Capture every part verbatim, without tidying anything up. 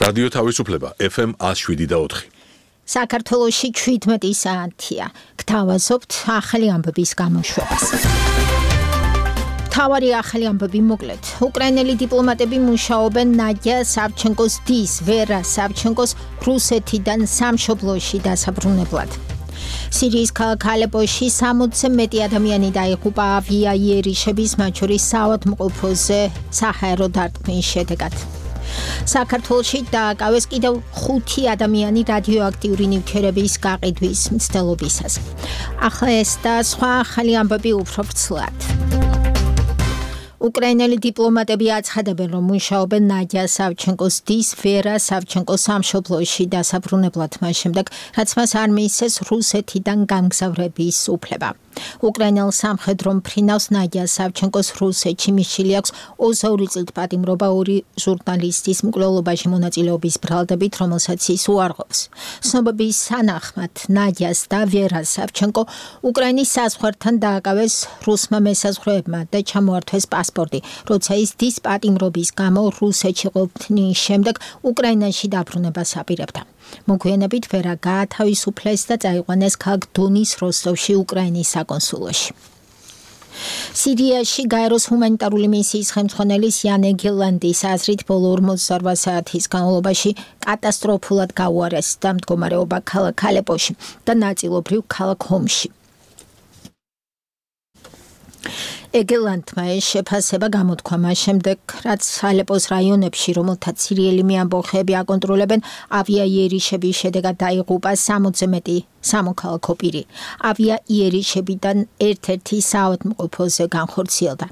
რადიო თავისუფლება ეფ ემ one oh seven და four. საქართველოში შვიდმეტი საათია. გთავაზობთ ახალი ამბების გამოშვებას. თავარი ახალი ამბები მოკლედ. უკრაინელი დიპლომატები მუშაობენ ნადია სავჩენკოს დის, ვერა სავჩენკოს რუსეთიდან სამშობლოში დასაბრუნებლად. სირიის ქალაქ ალეპოში სამოცზე მეტი ადამიანი დაიღუპა ავიაიერიშების, მათ შორის საავადმყოფოზე საჰაერო დარტყმის შედეგად. საქართველოში დააკავეს კიდევ ხუთი ადამიანი რადიოაქტიური ნივთიერების გაყიდვის მცდელობისას. ახლა ეს და სხვა ახალი ამბები უფრო ვრცლად. უკრაინელი დიპლომატები აცხადებენ, რომ მუშაობენ ნადია სავჩენკოს დის, ვერა სავჩენკოს სამშობლოში დასაბრუნებლად მას შემდეგ, რაც მას არ მიისცეს რუსეთიდან გამგზავრების უფლება. უკრაინელ სამხედრო მფრინავს ნადია სავჩენკოს რუსეთში მისული აქვს ოცდაორი წლით პატიმრობა ორი ჟურნალისტის მკვლელობაში მონაწილეობის ბრალდებით, რომელსაც ის უარყოფს. ცნობების თანახმად ნადიას და ვერას სავჩენკო უკრაინის საზღვართან დააკავეს რუსმა მესაზღვრეებმა და ჩამოართვეს პასპორტი, როცა ის დის პატიმრობის გამო რუსეთში ყოფნის შემდეგ უკრაინაში დაბრუნებას აპირებდა. მოგვიანებით ვერა გაათავისუფლეს და წაიყვანეს ქალაქ დონის როსტოვში უკრაინის საკონსულოში. სირიაში გაეროს ჰუმანიტარული მისიის ხელმძღვანელის იან ეგელანდის აზრით ბოლო ორმოცდაორ საათის განმავლობაში კატასტროფულად გაუარეს და მდგომარეობა ქალაქ ალეპოში და ნაწილობრივ ქალაქ ჰომში. ეგელანდმა ეს შეფასება გამოთქვა მას შემდეგ, რაც ალეპოს რაიონებში, რომელთაც სირიელი მეამბოხეები აკონტროლებენ, ავიაიერიშების შედეგად დაიღუპა სამოცზე მეტი სამოქალაქო პირი. ავიაიერიშებიდან ერთ-ერთი საავადმყოფოზე განხორციელდა.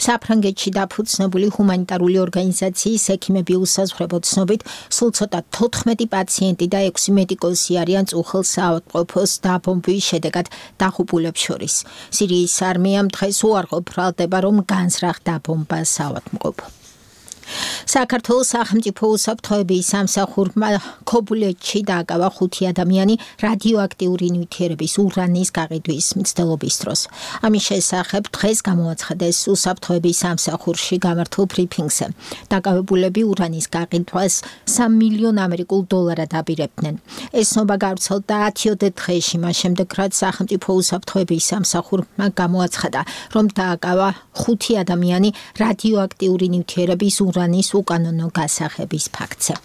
საფრანგეთში დაფუძნებული ჰუმანიტარული ორგანიზაციის ექიმები უსაზღვრებოდ ცნობით, სულ ცოტა თოთხმეტი პაციენტი და ექვსი მედიკოსი არიან წუხელ საავადმყოფოს დაბომბვის შედეგად დაღუპულებს შორის. სირიის არმიამ დღეს უარყოფ ბრალდება, რომ განზრახ დაბომბა საავადმყოფო. საქართველოს სახელმწიფო უსაფრთხოების სამსახურმა ქობულეთში დააკავა ხუთი ადამიანი რადიოაქტიური ნივთიერების ურანის გაყიდვის მცდელობის დროს. ამის შესახებ დღეს გამოაცხადეს უსაფრთხოების სამსახურში გამართულ ბრიფინგზე. დაკავებულები ურანის გაყიდვას სამი მილიონ ამერიკულ დოლარად აპირებდნენ. ეს ცნობა გავრცელდა ათიოდე დღეში, მას შემდეგ, რაც სახელმწიფო უსაფრთხოების სამსახურმა გამოაცხადა, რომ დააკავა ხუთი ადამიანი რადიოაქტიური ნივთიერების ურანის უკანონო გასაღების ფაქტზე.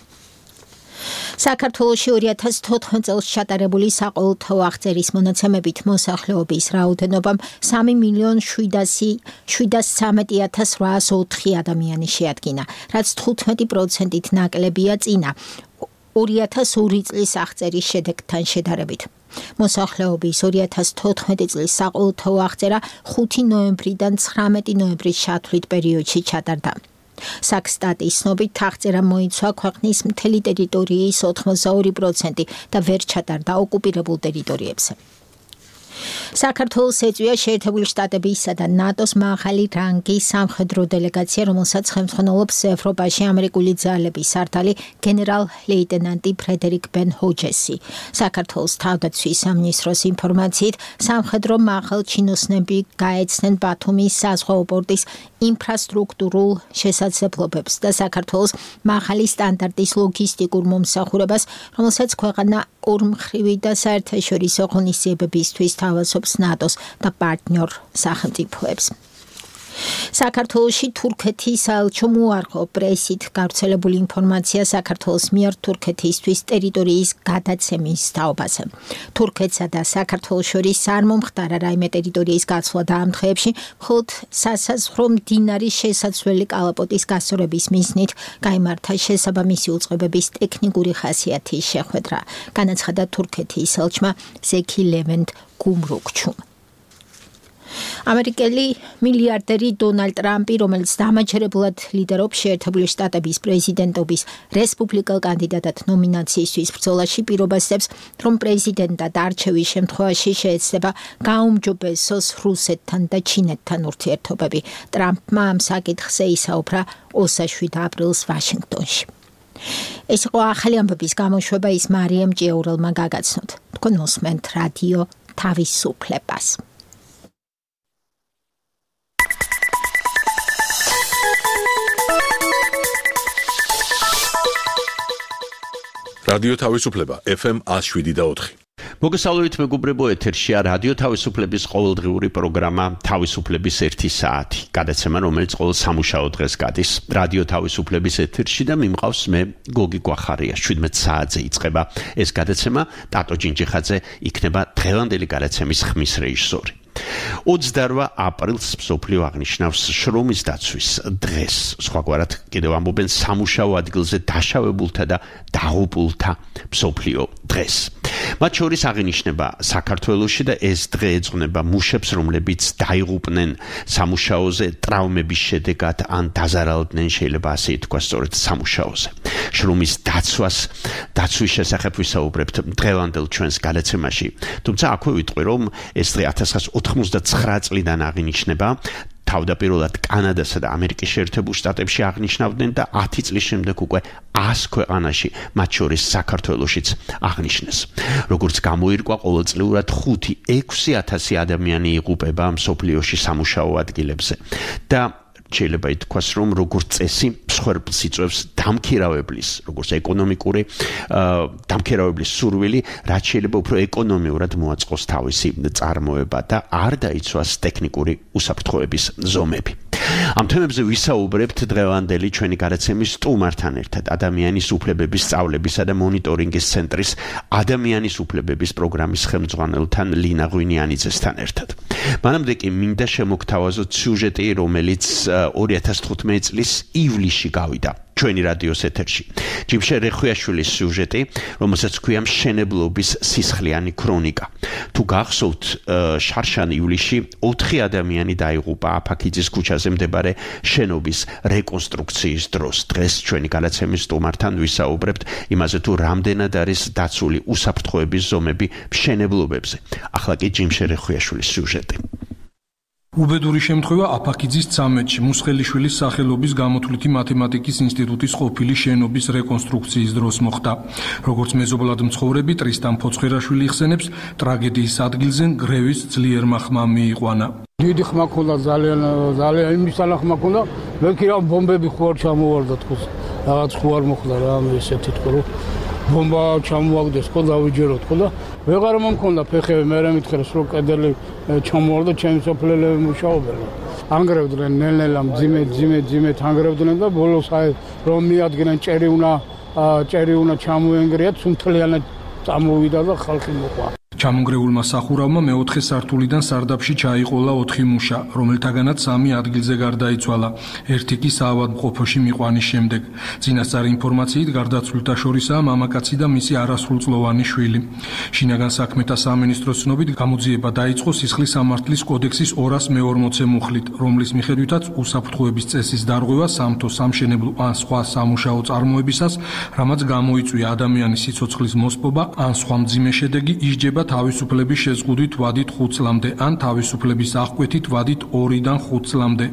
საქართველოში ორი ათას თოთხმეტ წელს ჩატარებული საყოველთაო აღწერის მონაცემებით მოსახლეობის რაოდენობამ სამი მილიონ შვიდას ცხრამეტი ათას რვაას ოთხი ადამიანი შეადგინა, რაც თხუთმეტი პროცენტით ნაკლებია წინა ორი ათას ორი წლის აღწერის შედეგთან შედარებით. მოსახლეობის ორი ათას თოთხმეტი წლის საყოველთაო აღწერა ხუთი ნოემბრიდან ცხრამეტი ნოემბრის ჩათვლით პერიოდში ჩატარდა. საქსტატის ცნობით აღწერა მოიცვა ქვეყნის მთელი ტერიტორიის ოთხმოცდაორი პროცენტი და ვერ ჩატარდა ოკუპირებულ ტერიტორიებზე. საქართველოს ეწვია შეერთებული შტატებისა და ნატოს მაღალი რანგის სამხედრო დელეგაცია, რომელსაც ხელმძღვანელობს ევროპაში ამერიკული ძალების სარდალი გენერალ-ლეიტენანტი ფრედერიკ ბენ ჰოჯესი. საქართველოს თავდაცვის სამინისტროს ინფორმაციით, სამხედრო მაღალჩინოსნები გაეცნენ ბათუმის საზღვაო პორტის ინფრასტრუქტურულ შესაძლებლობებს და საქართველოს მაღალი სტანდარტის ლოგისტიკურ მომსახურებას, რომელსაც ქვეყანა ორმხრივი და საერთაშორისო ღონისძიებებისთვის თავაზობს ნატოს და პარტნიორ სახელმწიფოებს. საქართველოში თურქეთის საელჩომ უარყო პრესით გავრცელებული ინფორმაცია საქართველოს მიერ თურქეთისთვის ტერიტორიის გადაცემის თაობაზე. თურქეთსა და საქართველოს შორის არ მომხდარა რაიმე ტერიტორიის გაცვლა და ამ დღეებში მხოლოდ სასაზღვრო მდინარის შესაძლებელი კალაპოტის გასწორების მიზნით გაიმართა შესაბამისი უწყებების ტექნიკური ხასიათის შეხვედრა, განაცხადა თურქეთის ელჩმა ზექი ლევენტ გუმრუქჩუმ. ამერიკელი მილიარდერი დონალდ ტრამპი, რომელიც დამაჯერებლად ლიდერობს შეერთებული შტატების პრეზიდენტობის რესპუბლიკელ კანდიდატად ნომინაციისთვის ბრძოლაში, პირობასდებს, რომ პრეზიდენტად არჩევის შემთხვევაში შეეცდება გაუმჯობესოს რუსეთთან და ჩინეთთან ურთიერთობები. ტრამპმა ამ საკითხზე ისაუბრა ოცდაშვიდ აპრილს ვაშინგტონში. ეს იყო ახალი ამბების გამოშვება, ის მარიამ ჭიაურელმა გაგაცნოთ. თქვენ უსმენთ რადიო თავისუფლებას. რადიო თავისუფლება ეფ ემ one oh seven point four. მოგესალმებით მეგობრებო, ეთერშია რადიო თავისუფლების ყოველდღიური პროგრამა თავისუფლების ერთი საათი. გადაცემა, რომელიც ყოველ სამუშაო დღეს გადის რადიო თავისუფლების ეთერში და მიმყავს მე გოგი გვახარია. შვიდმეტ საათზე იწყება ეს გადაცემა. ტატო ჯინჯიხაძე იქნება დღევანდელი გადაცემის ხმის რეჟისორი. ოცდაოთხ აპრილს მსოფლიო აღნიშნავს შრომის დაცვის დღეს. სხვაგვარად კიდევ ამბობენ სამუშაო ადგილზე დაშავებულთა და დაღუპულთა მსოფლიო დღეს. მათ შორის აღინიშნება საქართველოში და ეს დღე ეძღვნება მუშებს, რომლებიც დაიღუპნენ სამუშაოზე ტრავმების შედეგად ან დაზარალდნენ, შეიძლება ასე ითქვას, სწორედ სამუშაოზე. შრომის დაცვას დაცვის შესახებ ვისაუბრებთ დღევანდელ ჩვენს გადაცემაში. თუმცა აქვე ვიტყვი, რომ ეს დღე ათას ცხრაასა ოთხმოცდათვრამეტ წლიდან აღინიშნება. თავდაპირველად კანადასა და ამერიკის შეერთებულ შტატებში აღნიშნავდნენ და ათი წლის შემდეგ უკვე ას ქვეყანაში, მათ შორის საქართველოშიც აღნიშნეს. როგორც გამოირკვა, ყოველწლიურად ხუთი ექვსი ათასი ადამიანი იღუპება მსოფლიოში სამუშაო ადგილებზე და შეიძლება ითქვას, რომ როგორც წესი მსხვერპლს იწვევს დამქირავებლის, როგორც ეკონომიკური დამქირავებლის სურვილი, რაც შეიძლება უფრო ეკონომიურად მოაწყოს თავისი წარმოება და არ დაიცვას ტექნიკური უსაფრთხოების ზომები. ამ თემებზე ვისაუბრებთ დღევანდელი ჩვენი გადაცემის სტუმართან ერთად, ადამიანის უფლებების სწავლებისა და მონიტორინგის ცენტრის ადამიანის უფლებების პროგრამის ხელმძღვანელთან ლინა ღვინიანიძესთან ერთად. მანამდე კი მინდა შემოგთავაზოთ სიუჟეტი, რომელიც ორი ათას თხუთმეტი წლის ივლისში გავიდა ჩვენი რადიოს ეთერში. ჯიმშე რეხვიაშვილის სიუჟეტი, რომელსაც ქვია მშენებლობის სისხლიანი ქრონიკა. თუ გახსოვთ, შარშან ივლისში ოთხი ადამიანი დაიღუპა აფაქიძის ქუჩაზე მდებარე შენობის რეკონსტრუქციის დროს. დღეს ჩვენი გადაცემის სტუმართან ვისაუბრებთ იმაზე, თუ რამდენად არის დაცული უსაფრთხოების ზომები მშენებლობებზე. ახლა კი ჯიმშე რეხვიაშვილის სიუჟეტი. უბედური შემთხვევა აფაქიძის ცამეტში მუსხელიშვილის სახელობის გამოთვლითი მათემატიკის ინსტიტუტის ყოფილი შენობის რეკონსტრუქციის დროს მოხდა. როგორც მეზობლად მცხოვრები ტრისტან ფოცხერაშვილი იხსენებს, ტრაგედიის ადგილზე გრევის ძლიერმა ხმა მიიყვანა. დიდი ხმა ქონდა, ძალიან ძალიან იმის ალა ხმა ქონდა, მე კი რა ბომბები ხო არ ჩამოვარდა თქოს. რაღაც ხო არ მოხდა რა მე ესეთი თქო რომ ბომბა ჩამოვაგდეს ხო დავიჯეროთ ხო და ვეღარ მომქონდა ფეხები, მე მითხრეს რომ კედელი ჩამოვარდა, ჩემი სოფლელები მუშაობენ. ანგრევდნენ ნელ-ნელა მძიმე მძიმე მძიმედ ანგრევდნენ და ბოლოს აი რომ მიადგნენ ჭერი უნდა ჭერი უნდა ჩამოენგრიათ, სუნთლიანად წამოვიდა და ხალხი მოყვა. ჩამონგრეულმა სახურავმა მეოთხე სართულიდან სარდაფში ჩაიყოლა ოთხი მუშა, რომელთაგანაც სამი ადგილზე გარდაიცვალა. ერთი კი საავადმყოფოში მიყვანის შემდეგ. წინასწარი ინფორმაციით გარდაცვლილთა შორისაა მამაკაცი და მისი არასრულწლოვანი შვილი. შინაგან საქმეთა სამინისტროს ცნობით გამოძიება დაიწყო სისხლის სამართლის კოდექსის ორას მეორმოცე მუხლით, რომლის მიხედვითაც უსაფრთხოების წესის დარღვევა სამთო, სამშენებლო ან სხვა სამუშაო წარმოებისას, რამაც გამოიწვია ადამიანის სიცოცხლის მოსპობა ან სხვა მძიმე შედეგი, ისჯება თავისუფლების შეზღუდვით ვადით ხუთ წლამდე ან თავისუფლების აღკვეთით ვადით ორიდან ხუთ წლამდე.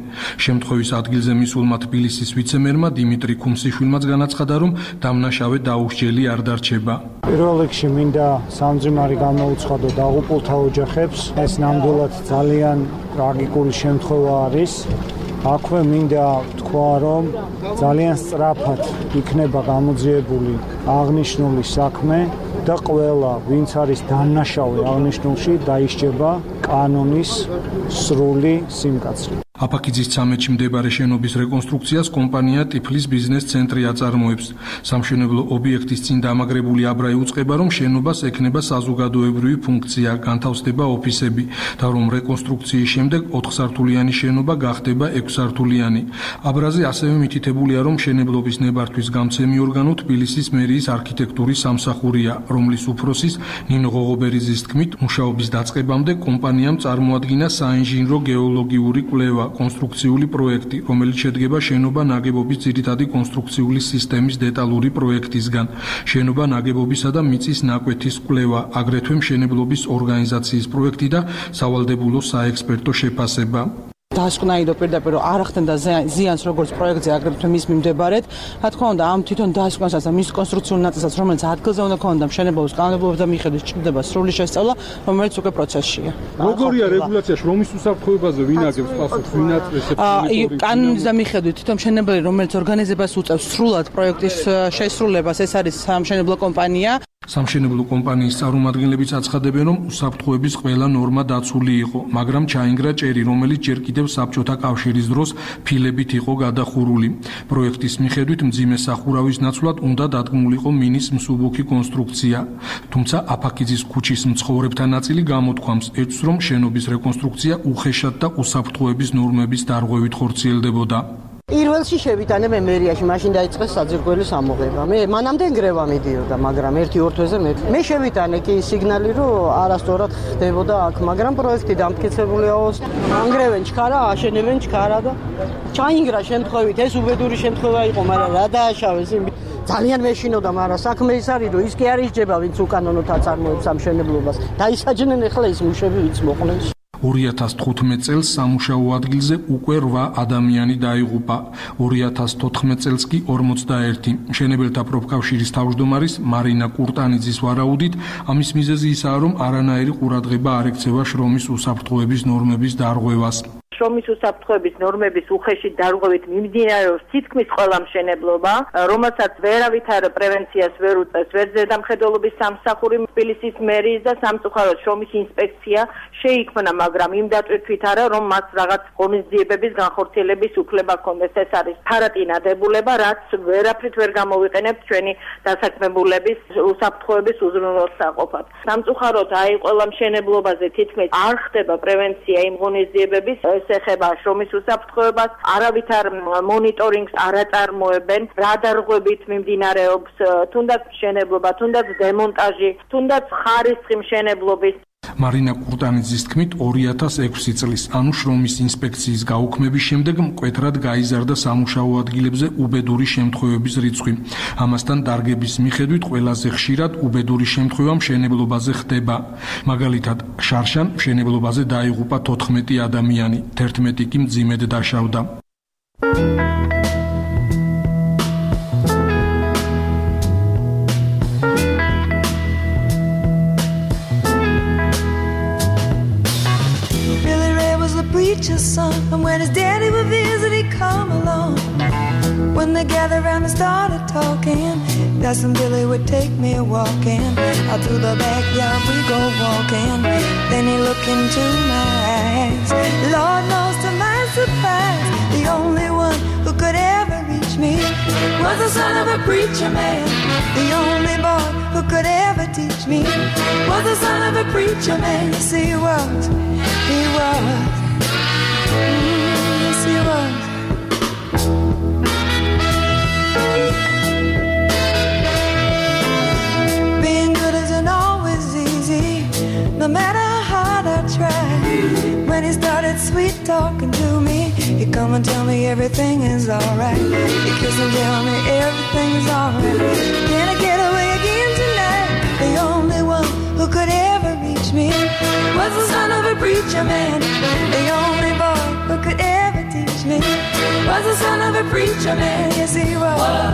შემთხვევის ადგილზე მისულმა თბილისის ვიცემერმა დიმიტრი ქუმსიშვილმაც განაცხადა, რომ დამნაშავე დაუსჯელი არ დარჩება. პირველ რიგში მინდა სამძიმარი გამოუცხადო დაღუპულთა ოჯახებს. ეს ნამდვილად ძალიან ტრაგიკული შემთხვევა არის. აქვე მინდა თქვა, რომ ძალიან სწრაფად იქნება გამოძიებული აღნიშნული საქმე და ყველა, ვინც არის დამნაშავე აღნიშნულში, დაისჯება კანონის სრული სიმკაცრით. აფაქიძის ცამეტში მდებარე შენობის რეკონსტრუქციას კომპანია ტიფლის ბიზნეს ცენტრი აწარმოებს. სამშენებლო ობიექტის წინ დამაგრებული აბრაი უწყება, რომ შენობას ექნება საზოგადოებრივი ფუნქცია, განთავსდება ოფისები და რომ რეკონსტრუქციის შემდეგ ოთხსართულიანი შენობა გახდება ექვსსართულიანი. აბრაზე ასევე მითითებულია, რომ მშენებლობის ნებართვის გამცემი ორგანო თბილისის მერიის არქიტექტურის სამსახურია, რომლის უფროსის ნინო ღოღობერიძის თქმით, მუშაობის დაწყებამდე კომპანიამ წარმოადგინა საინჟინრო გეოლოგიური კვლევა, კონსტრუქციული პროექტი, რომელიც შედგება შენობა ნაგებობის ძირითადი კონსტრუქციული სისტემის დეტალური პროექტისგან, შენობა ნაგებობისა და მიწის ნაკვეთის კვლევა, აგრეთვე მშენებლობის ორგანიზაციის პროექტი და სავალდებულო საექსპერტო შეფასება. დასკვნაიდო პირდაპირ რომ არ ახდენდა ზიანს როგორც პროექტზე აგრეთვე მის მიმდებარედ. რა თქმა უნდა, ამ თვითონ დასკვნასაც და მის კონსტრუქციულ ნაწილსაც, რომელიც ადგილზე უნდა ქონოდა მშენებლობის კანონმდებლობის და მიხედვით ჭირდება სრული შესწავლა, რომელიც უკვე პროცესშია. როგორია რეგულაცია შრომის უსაფრთხოებაზე ვინ აგებს პასუხს, ვინ აწესებს მონიტორინგს? კანონის და მიხედვით თვითონ მშენებელი, რომელიც ორგანიზებას უწევს სრულად პროექტის შესრულებას, ეს არის სამშენებლო კომპანია. სამშენებლო კომპანიის წარმომადგენლებიც აცხადებენ, რომ უსაფრთხოების ყველა ნორმა დაცული იყო, მაგრამ ჩაინგრა ჭერი, რომელიც ჯერ კიდევ საბჭოთა კავშირის დროს ფილებით იყო გადახურული. პროექტის მიხედვით მძიმე სახურავის ნაცვლად უნდა დადგმულიყო მინის მსუბუქი კონსტრუქცია. თუმცა აფაქიძის ქუჩის მცხოვრებთა ნაწილი გამოთქვამს, ეჭვს, რომ შენობის რეკონსტრუქცია უხეშად და უსაფრთხოების ნორმების დარღვევით ხორციელდებოდა. პირველში შევიტანე მე მერიაში, მაშინ დაიწყეს საძირკვლის ამოღება. მე მანამდე გრევა მიდიოდა, მაგრამ ერთი-ორ თვეზე მე. მე შევიტანე კი სიგნალი, რომ არასწორად ხდებოდა აქ, მაგრამ პროექტი დამტკიცებულია. ანგრევენ ჩქარა, აშენებენ ჩქარა და ჩაინგრა შემთხვევით, ეს უბედური შემთხვევა იყო, მაგრამ რა დააშავეს იმ ძალიან მეშინოდა, მაგრამ საქმე ის არის, რომ ის კი არ ისჯება, ვინც უკანონოდ აწარმოებს ამ მშენებლობას. დაისაჯნენ ახლა ის მუშები, ვინც მოყოლენ. ორი ათას თხუთმეტ წელს სამუშაო ადგილზე უკვე რვა ადამიანი დაიღუპა. ორი ათას თოთხმეტ წელს კი ორმოცდაერთი. მშენებელთა პროფკავშირის თავმჯდომარის მარინა კურტანიძის ვარაუდით, ამის მიზეზი ისაა, რომ არანაირი ყურადღება არ ექცევა შრომის უსაფრთხოების ნორმების დარღვევას. შრომის უსაფრთხოების ნორმების უხეში დარღვევით მიმდინარეობს თითქმის ყველა მშენებლობა, რომელსაც ვერავითარ პრევენციას ვერ უწევს, ვერ ზედამხედველობის სამსახური, თბილისის მერიის და სამწუხაროდ შრომის ინსპექცია შეიქმნა, მაგრამ იმ დატვირთვით არა, რომ მას რაღაც ღონისძიებების განხორციელების უფლება ჰქონდეს. ეს არის ფარატინა დებულება, რაც ვერაფრით ვერ გამოვიყენებთ ჩვენი დასაქმებულების უსაფრთხოების უზრუნველსაყოფად. სამწუხაროდ აი ყველა მშენებლობაზე თითქმის არ ხდება პრევენცია იმ ღონისძიებების, ეხება შრომის უსაფრთხოებას, არავითარ მონიტორინგს არ აწარმოებენ, რა დარღვევით მიმდინარეობს თუნდაც მშენებლობა, თუნდაც დემონტაჟი, თუნდაც ხარისხი მშენებლობის. მარინა კურტანიძის თქმით, ორი ათას ექვსი წლის, ანუ შრომის ინსპექციის გაუქმების შემდეგ მკვეთრად გაიზარდა სამუშაო ადგილებზე უბედური შემთხვევების რიცხვი. ამასთან დარგების მიხედვით ყველაზე ხშირად უბედური შემთხვევა მშენებლობაზე ხდება. მაგალითად, შარშან მშენებლობაზე დაიღუპა თოთხმეტი ადამიანი, თერთმეტი კი მძიმედ დაშავდა. Preacher's son, and when his daddy would visit, he'd come along. When they gathered around and started talking, Cousin Billy would take me walking. Out through the backyard we go walking. Then he looked into my eyes. Lord knows to my surprise, the only one who could ever reach me was the son of a preacher man. The only boy who could ever teach me was the son of a preacher man. Yes, he was, he was. Yes, he was. Being good isn't always easy, no matter how hard I try. When he started sweet talking to me, he'd come and tell me everything is alright. He'd kiss and tell me everything is alright. Can I get away again tonight? The only one who could ever reach me was the son of a preacher man. The only boy who could ever teach me was the son of a preacher man. Yes, he was.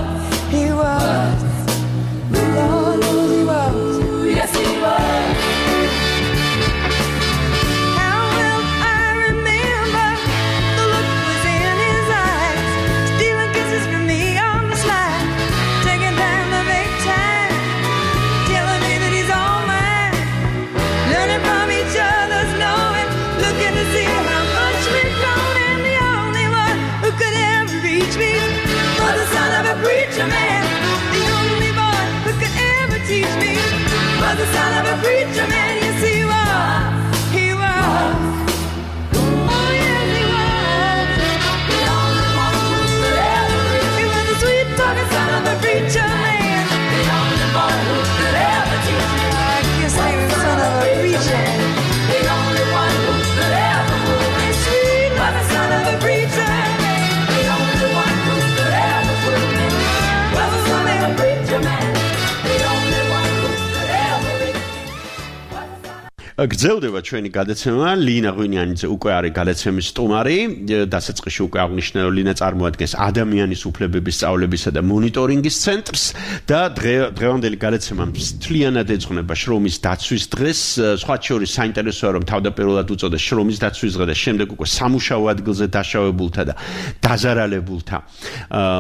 He was. Lord knows he was. Yes, he was. How will I remember the look was in his eyes, stealing kisses from me on the slide, taking time to make time, telling me that he's all mine, learning from each other's knowing, looking to see how much we've grown, and the only one who could ever reach me was the son of a preacher man. The only გრძელდება ჩვენი გადაცემა. ლინა ღვინიანიძე უკვე არის გადაცემის სტუმარი. დასაწყისში უკვე აღნიშნა, რომ ლინა წარმოადგენს ადამიანის უფლებების სწავლებისა და მონიტორინგის ცენტრს და დღევანდელი გადაცემა მთლიანად ეძღვნება შრომის დაცვის დღეს. სხვა შორის საინტერესოა, რომ თავდაპირველად უწოდეს შრომის დაცვის დღე და შემდეგ უკვე სამუშაო ადგილზე დაშავებულთა და დაზარალებულთა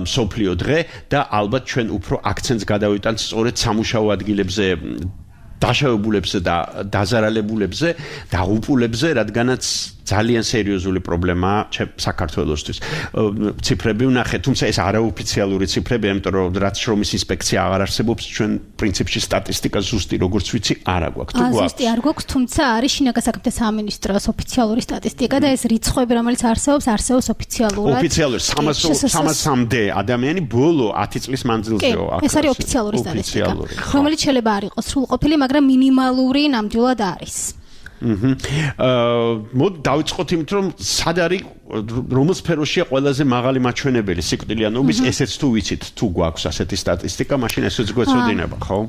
მსოფლიო დღე და ალბათ ჩვენ უფრო აქცენტს გადავიტანთ სწორედ სამუშაო ადგილებზე დაშავებულებზე და დაზარალებულებზე და უპულებზე, რადგანაც ძალიან სერიოზული პრობლემაა საქართველოსთვის. ციფრები ვნახეთ, თუმცა ეს არაოფიციალური ციფრებია, იმიტომ რომ რაც შრომის ინსპექცია აღარ არსებობს, ჩვენ პრინციპში სტატისტიკა ზუსტი როგორც ვიცი არ აქვს. თუ გვაქვს? ზუსტი არ გვაქვს, თუმცა არის შინაგან საქმეთა სამინისტროს ოფიციალური სტატისტიკა და ეს რიცხვები, რომელიც არსებობს, არსებობს ოფიციალურად. ოფიციალურად სამასამდე ადამიანი ბოლო ათი წლის მანძილზეო აქ. ეს არის ოფიციალური სტატისტიკა, რომელიც შეიძლება არ იყოს სრულყოფილი, მაგრამ მინიმალური ნამდვილად არის. აჰა. აა მოდ დავიწყოთ იმით, რომ სად არის რომელ სფეროშია ყველაზე მაღალი მაჩვენებელი სიკვდილიანობის, ესეც თუ ვიცით, თუ გვაქვს ასეთი სტატისტიკა, მაშინ ესეც გვეცოდინება, ხო?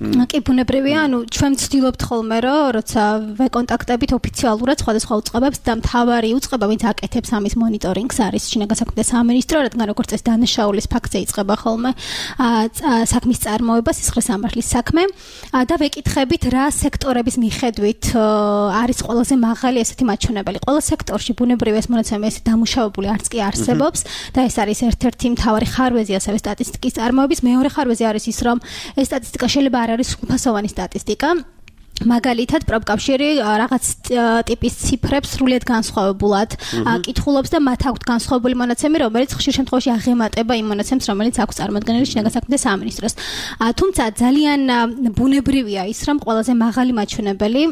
კი ბუნებრივია, ანუ ჩვენ ვცდილობთ ხოლმე, რომ როცა ვეკონტაქტებით ოფიციალურად სხვადასხვა უწყებებს და მთავარი უწყება, ვინც აკეთებს ამის მონიტორინგს, არის შინაგან საქმეთა სამინისტრო, რადგან როგორც წესი დანაშაულის ფაქტზე იწყება ხოლმე საქმის წარმოება, სისხლის სამართლის საქმე და ვეკითხებით, რა სექტორების მიხედვით არის ყველაზე მაღალი ესეთი მაჩვენებელი. ყველა სექტორში ბუნებრივია ეს მონაცემები ესე დამუშავებული არც კი არსებობს და ეს არის ერთ-ერთი მთავარი ხარვეზი ასევე სტატისტიკის წარმოების. მეორე ხარვეზი არის ის, რომ ეს სტატისტიკა შეიძლება არ არის სრულფასოვანი სტატისტიკა. მაგალითად, პროფკავშირი რაღაც ტიპის ციფრებს სრულიად განსხვავებულად კითხულობს და მათ აქვთ განსხვავებული მონაცემი, რომელიც ხშირ შემთხვევაში აღემატება იმ მონაცემს, რომელიც აქვს წარმოქმნილი შინაგან საქმეთა სამინისტროს. თუმცა ძალიან ბუნებრივია ის, რომ ყველაზე მაღალი მაჩვენებელი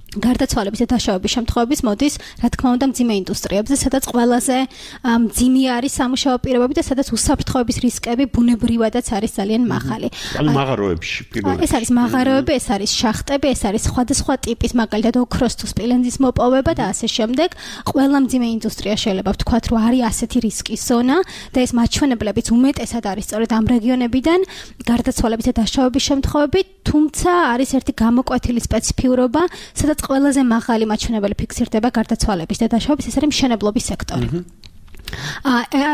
გარდაცვალების და დაშავების შემთხვევების მოდის, რა თქმა უნდა, მძიმე ინდუსტრიებზე, სადაც ყველაზე მძიმე არის სამუშაო პირობები და სადაც უსაფრთხოების რისკები ბუნებრივადაც არის ძალიან მაღალი. ანუ მაღაროებში პირველად. ეს არის მაღაროები, ეს არის შახტები, ეს არის სხვადასხვა ტიპის, მაგალითად, ოქროს თუ სპილენძის მოპოვება და ასე შემდეგ. ყველა მძიმე ინდუსტრია შეიძლება ვთქვათ, რომ არის ასეთი რისკის ზონა და ეს მაჩვენებლებიც უმეტესად არის სწორედ ამ რეგიონებიდან გარდაცვალების და დაშავების შემთხვევები, თუმცა არის ერთი გამოკვეთილი სპეციფიურობა, სადაც ყველაზე მაღალი მაჩვენებელი ფიქსირდება გარდაცვალების და დაშავების, ეს არის მშენებლობის სექტორი.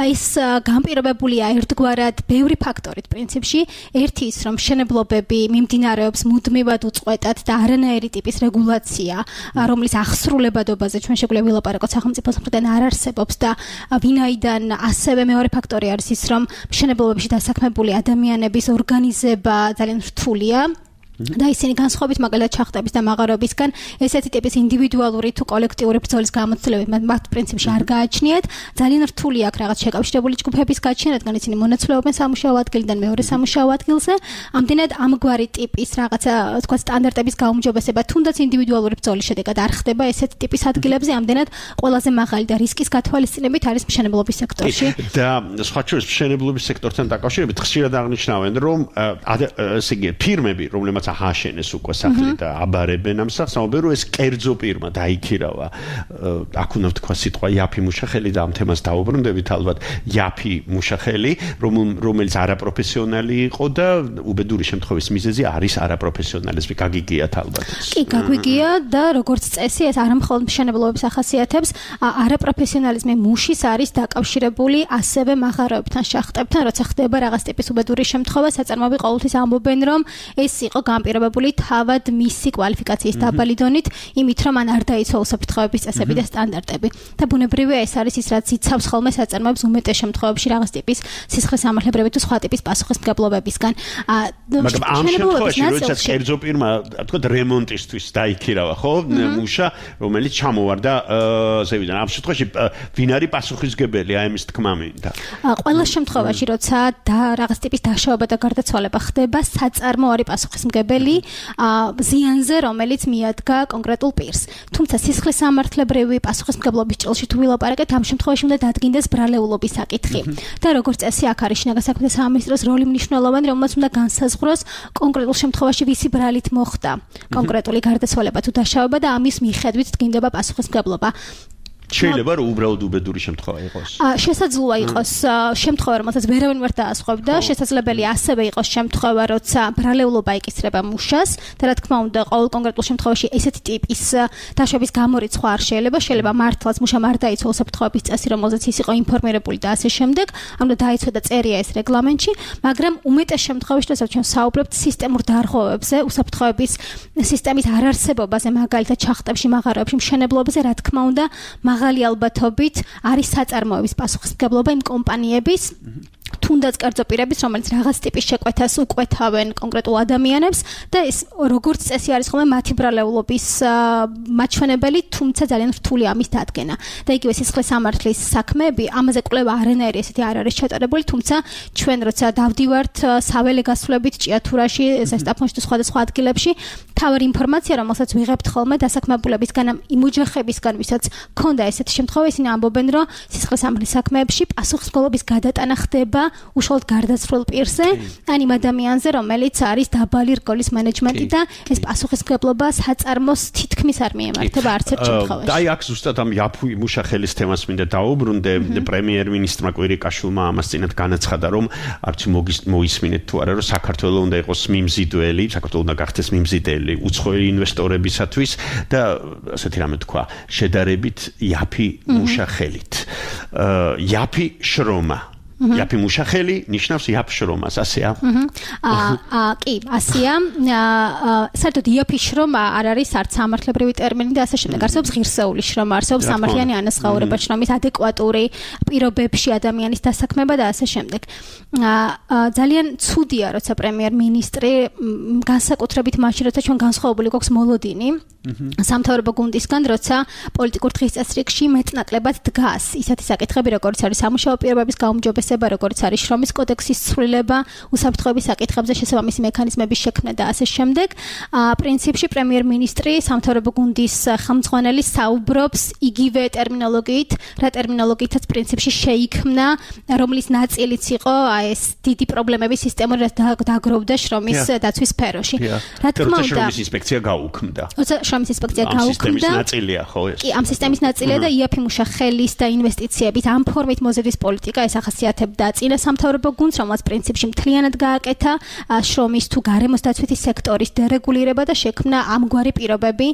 ეს განპირობებულია ერთგვარად ბევრი ფაქტორით პრინციპში. ერთი ის, რომ მშენებლობები მიმდინარეობს მუდმივად უწყვეტად და არანაირი ტიპის რეგულაცია, რომლის აღსრულებადობაზე ჩვენ შეგვიძლია ვილაპარაკოთ სახელმწიფოს მხრიდან არ არსებობს და ვინაიდან ასევე მეორე ფაქტორი არის ის, რომ მშენებლობებში დასაქმებული ადამიანების ორგანიზება ძალიან რთულია. და ისინი განსხვავებით მაგალითად ჩახტების და მაღაროებისგან ესეთი ტიპის ინდივიდუალური თუ კოლექტიური ბრძოლის გამოცდილებით მათ პრინციპში არ გააჩნიათ. ძალიან რთული აქვს რაღაც შეკავშირებული ჯგუფების გაჩენა, რადგან ისინი მონაცვლეობენ სამუშაო ადგილიდან მეორე სამუშაო ადგილზე. ამდენად ამგვარი ტიპის რაღაცა თქვა სტანდარტების გაუმჯობესება თუნდაც ინდივიდუალური ბრძოლის შედეგად არ ხდება ესეთი ტიპის ადგილებზე. ამდენად ყველაზე მაღალი და რისკის გათვალისწინებით არის მშენებლობის სექტორში. და სხვა შორის მშენებლობის სექტორთან დაკავშირებით ხშირად აღნიშნავენ, რომ ესე იგი ფირმები, რომლებმაც ახაშენეს უკვე სახლი და აბარებენ ამ სახლს, ამბობენ, რომ ეს კერძო პირმა დაიქირავა. აქ უნდა ვთქვა სიტყვა იაფი მუშახელი და ამ თემას დაუბრუნდებით ალბათ. იაფი მუშახელი, რომელიც არაპროფესიონალი იყო და უბედური შემთხვევის მიზეზი არის არაპროფესიონალიზმი. გაგიგიათ ალბათ. კი, გაგვიგია და როგორც წესი ეს არამხოლოდ მშენებლობის ახასიათებს, არაპროფესიონალიზმი მუშის არის დაკავშირებული ასევე მაღაროებთან, შახტებთან, როცა ხდება რაღაც ტიპის უბედური შემთხვევა, საწარმოები ყოველთვის ამბობენ, რომ ეს იყო განპირობებული თავად მისი კვალიფიკაციის დაბალი დონით, იმით რომ ან არ დაიცვა უსაფრთხოების წესები და სტანდარტები. და ბუნებრივია ეს არის ის, რაც იცავს ხოლმე საწარმოებს უმეტეს შემთხვევებში რაღაც ტიპის სისხლის სამართლებრივი თუ სხვა ტიპის პასუხისმგებლობებისგან. მაგრამ ამ შემთხვევაში, როდესაც კერძო პირმა, თქვა რემონტისთვის დაიქირავა, ხო, მუშა, რომელიც ჩამოვარდა ზევიდან. ამ შემთხვევაში ვინ არის პასუხისმგებელი, აი ამის თქმა მინდა. ყველა შემთხვევაში, როცა და რაღაც ტიპის დაშავება და გარდაცვალება ხდება, საწარმო არის პასუხისმგებელი ზიანზე, რომელიც მიადგა კონკრეტულ პირს. თუმცა სისხლის სამართლებრივი პასუხისმგებლობის ჭრილში თუ ვილაპარაკეთ, ამ შემთხვევაში უნდა დადგინდეს ბრალეულობის საკითხი. და როგორც წესი, აქ არის შინაგან საქმეთა სამინისტროს როლი მნიშვნელოვანი, რომელმაც უნდა განსაზღვროს კონკრეტულ შემთხვევაში ვისი ბრალით მოხდა კონკრეტული გარდაცვალება თუ დაშავება და ამის მიხედვით დგინდება პასუხისმგებლობა. შეიძლება რომ უბრალოდ უბედური შემთხვევა იყოს. შესაძლოა იყოს შემთხვევა, რომელსაც ვერავინ ვერ დაასხვევდა, შესაძლებელია ასევე იყოს შემთხვევა, როცა ბრალეულობა ეკისრება მუშას და რა თქმა უნდა, ყოველ კონკრეტულ შემთხვევაში ესეთი ტიპის დაშვების გამორიცხვა არ შეიძლება, შეიძლება მართლაც მუშამ არ დაიცვა უსაფრთხოების წესი, რომელზეც ის იყო ინფორმირებული და ასე შემდეგ, ამიტომ დაიცვა და წერია ეს რეგლამენტში, მაგრამ უმეტეს შემთხვევაში, როდესაც ჩვენ საუბრობთ სისტემურ დარღვევებზე, უსაფრთხოების სისტემის არარსებობაზე, მაგალითად ჩახტებში, მაღაროებში, მშენებლობაზე, რა თქმა უნდა, მაღალი ალბათობით არის საწარმოების პასუხისმგებლობა იმ კომპანიების თუნდაც კერძო პირების, რომელიც რაღაც ტიპის შეკვეთას უკვეთავენ კონკრეტულ ადამიანებს და ეს როგორც წესი არის ხოლმე მათი ბრალეულობის მაჩვენებელი, თუმცა ძალიან რთული ამის დადგენა. და იგივე სისხლის სამართლის საქმეები, ამაზე კვლევა არანაირი ესეთი არ არის ჩატარებული, თუმცა ჩვენ როცა დავდივართ საველე გასვლებით ჭიათურაში, ზესტაფონში თუ სხვადასხვა ადგილებში, თავარი ინფორმაცია, რომელსაც ვიღებთ ხოლმე დასაქმებულებისგან, იმ ოჯახებისგან, ვისაც ქონდა ესეთი შემთხვევა, ისინი ამბობენ, რომ სისხლის სამართლის საქმეებში პასუხისმგებლობის გადატანა ხდება უშუალოდ გარდაცვლილ პირზე, ან იმ ადამიანზე, რომელიც არის დაბალი რგოლის მენეჯმენტი და ეს პასუხისმგებლობა საწარმოს თითქმის არ მიემართება არც ერთ შემთხვევაში. და აი აქ ზუსტად ამ იაფი მუშახელის თემას მინდა დავუბრუნდე, პრემიერ-მინისტრმა კვირიკაშვილმა ამას წინათ განაცხადა, რომ არც მოისმინეთ თუ არა, რომ საქართველოს უნდა იყოს მიმზიდველი, საქართველოს უნდა გახდეს მიმზიდველი უცხოელი ინვესტორებისათვის და ასეთი რამე თქვა, შედარებით იაფი მუშახელით. იაფი შრომა იაფი მუშახელი ნიშნავს იაფ შრომას, ასეა? აა კი, ასეა. საერთოდ იაფი შრომა არ არის არც სამართლებრივი ტერმინი და ასე შემდეგ. არსებობს ღირსეული შრომა, არსებობს სამართლიანი ანაზღაურება შრომის ადეკვატური პირობებში ადამიანის დასაქმება და ასე შემდეგ. ძალიან ცუდია, როცა პრემიერ-მინისტრი განსაკუთრებით მაშინ, როცა ჩვენ განსხვავებული გვაქვს მოლოდინი სამთავრობო გუნდისგან, როცა პოლიტიკურ დღესწრებში მეტნაკლებად დგას ისეთი საკითხები, როგორც არის სამუშაო პირობების გაუმჯობესება, როგორც არის შრომის კოდექსის ცვლილება, უსაფრთხოების საკითხებზე შესაბამისი მექანიზმების შექმნა და ასე შემდეგ. პრინციპში პრემიერ-მინისტრი სამთავრობო გუნდის ხელმძღვანელი საუბრობს იგივე ტერმინოლოგიით, რა ტერმინოლოგიითაც პრინციპში შეიქმნა, რომლის ნაწილიც იყო ეს დიდი პრობლემების სისტემური დაგროვდა შრომის დაცვის სფეროში. რა თქმა უნდა, შრომის ინსპექცია გაუქმდა. შრომის ინსპექცია გაუქმდა. ამ სისტემის ნაწილია, ხო ეს? კი, ამ სისტემის ნაწილია და იაფი მუშახელის და ინვესტიციების ამ ფორმით მოზიდვის პოლიტიკა ეს ახასიათებდა წინა სამთავრობო გუნდს, რომელსაც პრინციპში მთლიანად გააკეთა შრომის თუ გარემოს დაცვითი სექტორის დერეგულირება და შექმნა ამგვარი პირობები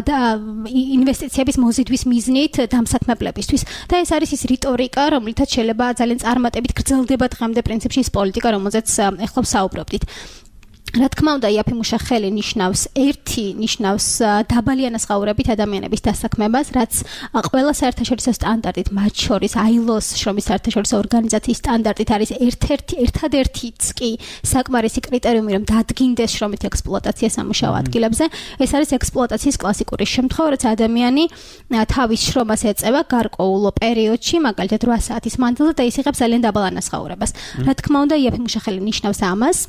და ინვესტიციების მოზიდვის მიზნით დამსაქმებლებისთვის. და ეს არის ის რიტორიკა, რომლითაც შეიძლება ძალიან წარმატებით გრძელდება დღემდე პრინციპში ის პოლიტიკა, რომელზეც ეხლა ვსაუბრობდით. რა თქმა უნდა, იაფი მუშახელი ნიშნავს ერთი ნიშნავს დაბალი ანაზღაურებით ადამიანების დასაქმებას, რაც ყველა საერთაშორისო სტანდარტით, მათ შორის აი ელ ოს შრომის საერთაშორისო ორგანიზაციის სტანდარტით არის ერთ-ერთი ერთადერთიც კი საკმარისი კრიტერიუმი, რომ დადგინდეს შრომითი ექსპლუატაცია სამუშაო ადგილებზე. ეს არის ექსპლუატაციის კლასიკური შემთხვევა, როცა ადამიანი თავის შრომას ეწევა გარკვეულ პერიოდში, მაგალითად რვა საათის მანძილზე და ის იღებს ძალიან დაბალ ანაზღაურებას. რა თქმა უნდა, იაფი მუშახელი ნიშნავს ამას.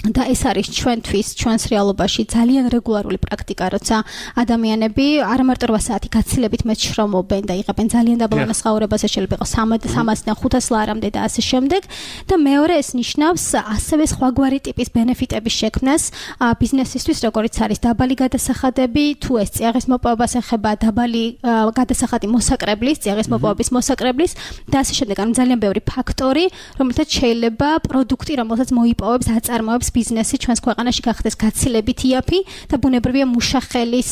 და ეს არის ჩვენთვის, ჩვენს რეალობაში ძალიან რეგულარული პრაქტიკა, როცა ადამიანები არ მარტო რვა საათი გაცილებით მეც შრომობენ და იღებენ ძალიან დაბალ ანაზღაურებას, შეიძლება იყოს სამასიდან ხუთას ლარამდე და ასე შემდეგ. და მეორე ეს ნიშნავს ასევე სხვაგვარი ტიპის ბენეფიტების შექმნას ბიზნესისთვის, როგორც არის დაბალი გადასახადები, თუ ეს წიაღის მოპოვებას ეხება, დაბალი გადასახადი მოსაკრებლის, წიაღის მოპოვების მოსაკრებლის და ასე შემდეგ. ანუ ძალიან ბევრი ფაქტორი, რომელთაც შეიძლება პროდუქტი, რომელსაც მოიპოვებს, აწარმოებს ბიზნესი ჩვენს ქვეყანაში გახდეს გაცილებით იაფი და ბუნებრივია მუშახელის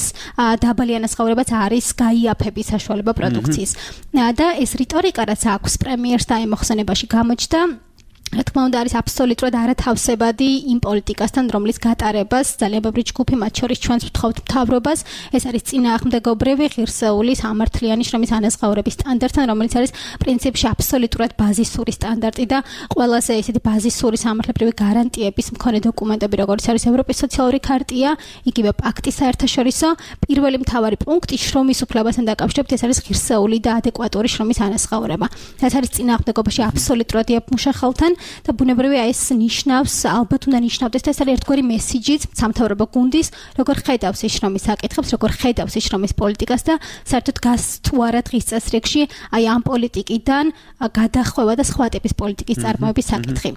დაბალი ანაზღაურებაც არის გაიაფების საშუალება პროდუქციის. და ეს რიტორიკა, რაც აქვს პრემიერს და ამ მოხსენებაში გამოჩნდა, რა თქმა უნდა არის აბსოლუტურად არათავსებადი იმ პოლიტიკასთან, რომლის გატარებას ძალიან ბევრი ჯგუფი, მათ შორის ჩვენს ვთხოვთ მთავრობას, ეს არის წინააღმდეგობრივი ღირსეული სამართლიანი შრომის ანაზღაურების სტანდარტთან, რომელიც არის პრინციპში აბსოლუტურად ბაზისური სტანდარტი და ყველაზე ისეთი ბაზისური სამართლებრივი გარანტიების მქონე დოკუმენტები, როგორც არის ევროპის სოციალური ქარტია, იგივე პაქტი საერთაშორისო, პირველი მთავარი პუნქტი შრომის უფლებასთან დაკავშირებით, ეს არის ღირსეული და ადეკვატური შრომის ანაზღაურება. ეს არის წინააღმდეგობაში აბსოლუტურად იაფ მუშახელთან. და ბუნებრივია ეს ნიშნავს, ალბათ უნდა ნიშნავდეს და ეს არის ერთგვარი მესიჯიც სამთავრობო გუნდის, როგორ ხედავს ის შრომის საკითხებს, როგორ ხედავს ის შრომის პოლიტიკას და საერთოდ გას თუ არა დღის წესრიგში აი ამ პოლიტიკიდან გადახვევა და სხვა ტიპის პოლიტიკის წარმოების საკითხი.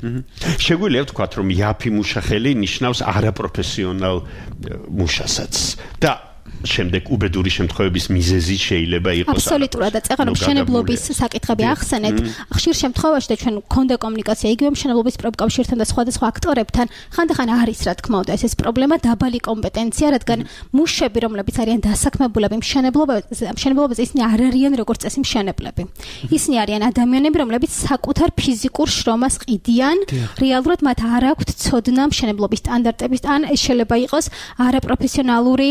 შეგვიძლია ვთქვათ, რომ იაფი მუშახელი ნიშნავს არაპროფესიონალ მუშასაც და შემდეგ უბედური შემთხვევების მიზეზი შეიძლება იყოს. აბსოლუტურად და წეგან მშენებლობის საკითხები ახსენეთ. ხშირ შემთხვევაში და ჩვენ გქონდა კომუნიკაცია იგივე მშენებლობის პროფკავშირთან და სხვადასხვა აქტორებთან, ხანდახან არის რა თქმა უნდა ეს ეს პრობლემა დაბალი კომპეტენცია, რადგან მუშები, რომლებიც არიან დასაქმებულები მშენებლობაზე, მშენებლობაზე ისინი არ არიან როგორც წესი მშენებლები. ისინი არიან ადამიანები, რომლებიც საკუთარ ფიზიკურ შრომას ყიდიან, რეალურად მათ არ აქვთ ცოდნა მშენებლობის სტანდარტების ან ეს შეიძლება იყოს არაპროფესიონალური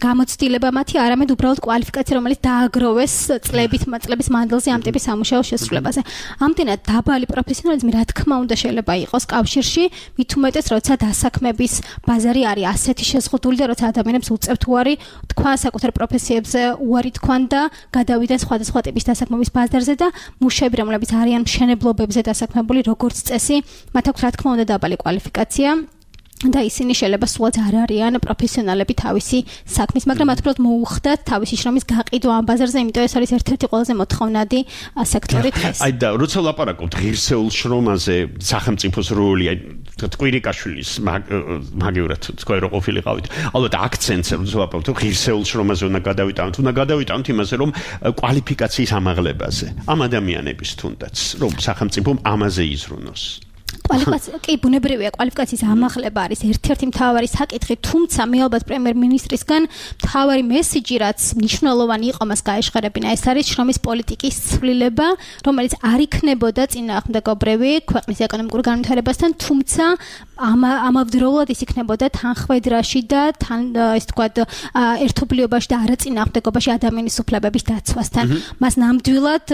გამოცდილება მათი, არამედ უბრალოდ კვალიფიკაცია, რომელიც დააგროვეს წლებით, წლების მანძილზე ამ ტიპის სამუშაოს შესრულებაზე. ამდენად დაბალი პროფესიონალიზმი რა თქმა უნდა შეიძლება იყოს კავშირში, მით უმეტეს როცა დასაქმების ბაზარი არის ასეთი შეზღუდული და როცა ადამიანებს უწევთ უარი თქვა საკუთარ პროფესიებზე უარი თქვან და გადავიდნენ სხვადასხვა ტიპის დასაქმების ბაზარზე და მუშები, რომლებიც არიან მშენებლობებზე დასაქმებული, როგორც წესი, მათ აქვს რა თქმა უნდა დაბალი კვალიფიკაცია. და ისინი შეიძლება სულაც არ არიან პროფესიონალები თავისი საქმის, მაგრამ მათ უბრალოდ მოუხდათ თავისი შრომის გაყიდვა ამ ბაზარზე, იმიტომ ეს არის ერთ-ერთი ყველაზე მოთხოვნადი სექტორი დღეს. აი და როცა ლაპარაკობთ ღირსეულ შრომაზე, სახელმწიფოს როლი, აი კვირიკაშვილის მაგივრად თქვა რომ ყოფილიყავით. ალბათ აქცენტს როცა ლაპარაკობთ ღირსეულ შრომაზე უნდა გადავიტანოთ, უნდა გადავიტანოთ იმაზე, რომ კვალიფიკაციის ამაღლებაზე, ამ ადამიანების თუნდაც, რომ სახელმწიფო ამაზე იზრუნოს. კვალიფიკაცია კი ბუნებრივია კვალიფიკაციის ამაღლება არის ერთ-ერთი მთავარი საკითხი, თუმცა მე ალბათ პრემიერ-მინისტრისგან მთავარი მესიჯი, რაც მნიშვნელოვანი იყო მას გაეშღერებინა, ეს არის შრომის პოლიტიკის ცვლილება, რომელიც არ იქნებოდა წინააღმდეგობრივი ქვეყნის ეკონომიკურ განვითარებასთან, თუმცა ამავდროულად ის იქნებოდა თანხმედრაში და თან ის თქვა ერთობლიობაში და არაწინააღმდეგობაში ადამიანის უფლებების დაცვასთან. მას ნამდვილად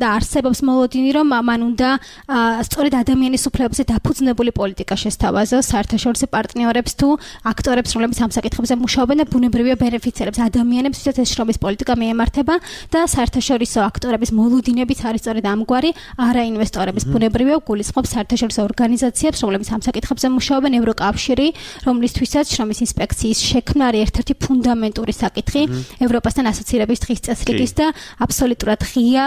და არსებობს მოლოდინი, რომ მან უნდა სწორედ ადამიანის უფლებებზე დაფუძნებული პოლიტიკა შესთავაზოს საერთაშორისო პარტნიორებს თუ აქტორებს, რომლებიც ამ საკითხებზე მუშაობენ და ბუნებრივია ბენეფიციარებს ადამიანებს, ვისაც ეს შრომის პოლიტიკა მიემართება და საერთაშორისო აქტორების მოლოდინებიც არის სწორედ ამგვარი, არა ინვესტორების ბუნებრივია გულისხმობს საერთაშორისო ორგანიზაციებს, რომლებიც ამ საკითხებზე მუშაობენ, ევროკავშირი, რომლისთვისაც შრომის ინსპექციის შექმნა არის ერთ-ერთი ფუნდამენტური საკითხი ევროპასთან ასოცირების დღის წესრიგის და აბსოლუტურად ღია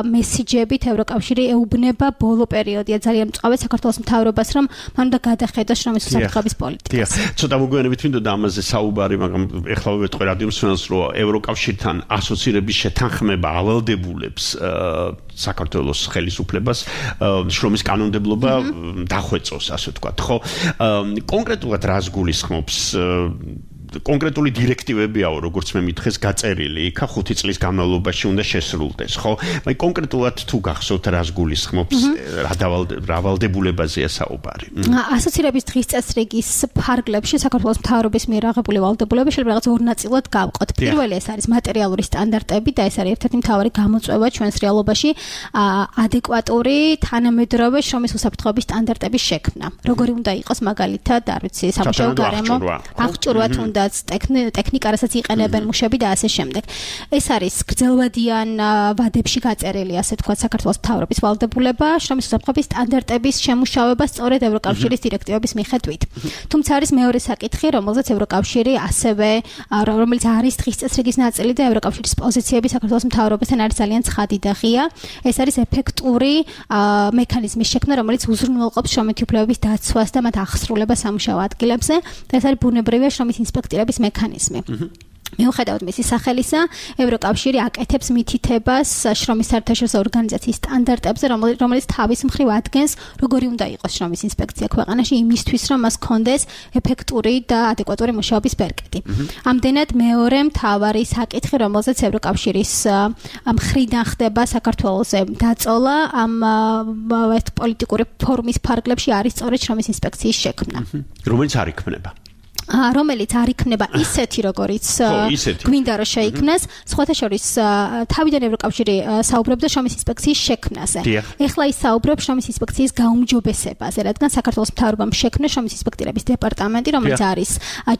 მესიჯებით ევროკავშირი ეუბნება ბოლო პერიოდია ძალიან მწვავე საქართველოს მთავრობას, რომ მან უნდა გადახედოს შრომის უსაფრთხოების პოლიტიკას. ცოტა მოგვიანებით მინდოდა ამაზე საუბარი, მაგრამ ეხლა ვეტყვი რადიო მსმენელს, რომ ევროკავშირთან ასოცირების შეთანხმება ავალდებულებს საქართველოს ხელისუფლებას შრომის კანონმდებლობა დახვეწოს, ასე ვთქვათ, ხო? კონკრეტულად რას გულისხმობს კონკრეტული დირექტივებიაო, როგორც მე მითხეს, გაწერილი, იქა ხუთი წლის განმავლობაში უნდა შესრულდეს, ხო? მაგრამ კონკრეტულად თუ გახსოვთ რას გულისხმობს, რა ვალდებულებაზეა საუბარი? ასოცირების დღის წესრიგის ფარგლებში საქართველოს მთავრობის მიერ აღებული ვალდებულება შეიძლება რაღაც ორ ნაწილად გავყოთ. პირველი ეს არის მატერიალური სტანდარტები და ეს არის ერთ-ერთი მთავარი გამოწვევა ჩვენს რეალობაში, ადეკვატური თანამედროვე შრომის უსაფრთხოების სტანდარტების შექმნა. როგორი უნდა იყოს მაგალითად, არ ვიცი, სამუშაო გარემო, აღჭურვა თუნდაც ტექნიკა, რასაც იყენებენ მუშები და ასე შემდეგ. ეს არის გრძელვადიან ვადებში გაწერილი, ასე ვთქვათ, საქართველოს მთავრობის ვალდებულება შრომის უსაფრთხოების სტანდარტების შემუშავება სწორედ ევროკავშირის დირექტივების მიხედვით. თუმცა არის მეორე საკითხი, რომელზეც ევროკავშირი ასევე, რომელიც არის დღის წესრიგის ნაწილი და ევროკავშირის პოზიციები საქართველოს მთავრობასთან არის ძალიან ცხადი და ღია. ეს არის ეფექტური მექანიზმის შექმნა, რომელიც უზრუნველყოფს შრომითი უფლებების დაცვას და მათ აღსრულებას სამუშაო ადგილებზე და ეს არის ბუნებრივია შრომის ინსპექტირების მექანიზმი. მიუხედავად მისი სახელისა, ევროკავშირი აკეთებს მითითებას შრომის საერთაშორისო ორგანიზაციის სტანდარტებზე, რომელიც თავის მხრივ ადგენს, როგორი უნდა იყოს შრომის ინსპექცია ქვეყანაში იმისთვის, რომ მას ჰქონდეს ეფექტური და ადეკვატური მუშაობის ბერკეტი. ამდენად მეორე მთავარი საკითხი, რომელზეც ევროკავშირის მხრიდან ხდება საქართველოსზე დაწოლა ამ პოლიტიკური ფორუმის ფარგლებში არის სწორედ შრომის ინსპექციის შექმნა. რომელიც არ იქმნება. რომელიც არ იქნება ისეთი, როგორიც გვინდა რომ შეიქმნას, სხვათა შორის თავიდან ევროკავშირი საუბრობდა შრომის ინსპექციის შექმნაზე. ეხლა ის საუბრობს შრომის ინსპექციის გაუმჯობესებაზე, რადგან საქართველოს მთავრობამ შექმნა შრომის ინსპექტირების დეპარტამენტი, რომელიც არის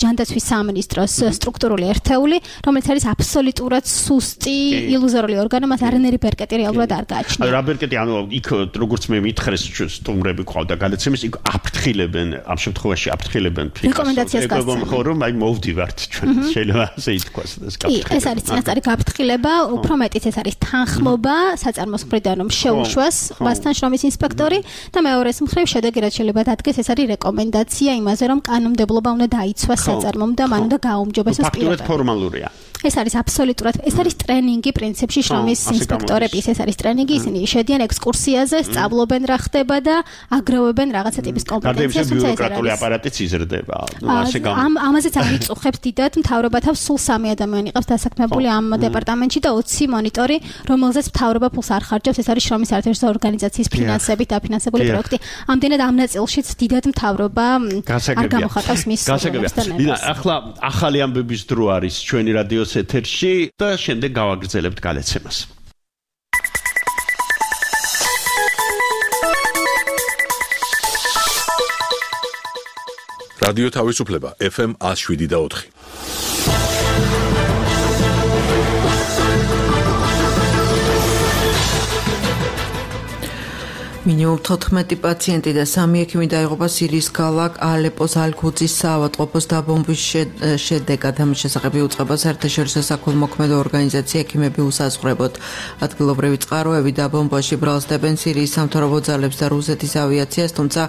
ჯანდაცვის სამინისტროს სტრუქტურული ერთეული, რომელიც არის აბსოლუტურად სუსტი, ილუზორული ორგანო, მას არანაირი ბერკეტი რეალურად არ გააჩნია. რა ბერკეტი, ანუ იქ როგორც მე მითხრეს სტუმრები ყავდა გადაცემის, იქ აფრთხილებენ, ამ შემთხვევაში აფრთხილებენ რეკომენდაციას მოგყვება მხოლოდ რომ აი მოვდივართ ჩვენ შეიძლება ასე ითქვას ეს კი ეს არის წინასწარი გაფრთხილება უფრო მეტიც ეს არის თანხმობა საწარმოს მხრიდან რომ შეუშვას მასთან შრომის ინსპექტორი და მეორეს მხრივ შედეგი რაც შეიძლება დადგეს ეს არის რეკომენდაცია იმაზე რომ კანონმდებლობა უნდა დაიცვას საწარმომ და მან უნდა გააუმჯობესოს პირობა ფაქტობრივად ფორმალურია ეს არის აბსოლუტურად ეს არის ტრენინგი პრინციპში შრომის ინსპექტორების ეს არის ტრენინგი ისინი შედიან ექსკურსიაზე სწავლობენ რა ხდება და აგროვებენ რაღაცა ტიპის კომპეტენციას თუმცა ბიუროკრატიული აპარატიც იზრდება ნუ ასე გამ ამ ამაზეც არიწუხებს დიდად მთავრობა თავს სულ სამი ადამიანი ყავს დასაქმებული ამ დეპარტამენტში და ოცი მონიტორი რომელზეც მთავრობა ფულს არ ხარჯავს ეს არის შრომის საერთაშორისო ორგანიზაციის ფინანსებით დაფინანსებული პროექტი ამდენად ამ ნაწილშიც დიდად მთავრობა არ გამოხატავს მის გასაგებია ახლა ახალი ამბების დრო არის ჩვენი რადიოს ეთერში და შემდეგ გავაგრძელებთ გადაცემას. რადიო თავისუფლება ეფ ემ one oh seven და four. მინიმუმ თოთხმეტი პაციენტი და სამი ექიმი დაიღუპა სირიის ქალაქ ალეპოს ალ-ქუძის საავადმყოფოს დაბომბვის შედეგად. ამის შესახებ იუწყება საერთაშორისო საქველმოქმედო ორგანიზაცია ექიმები უსაზღვრებოდ. ადგილობრივი წყაროები დაბომბვაში ბრალსდებენ სირიის სამთავრობო ძალებს და რუსეთის ავიაციას, თუმცა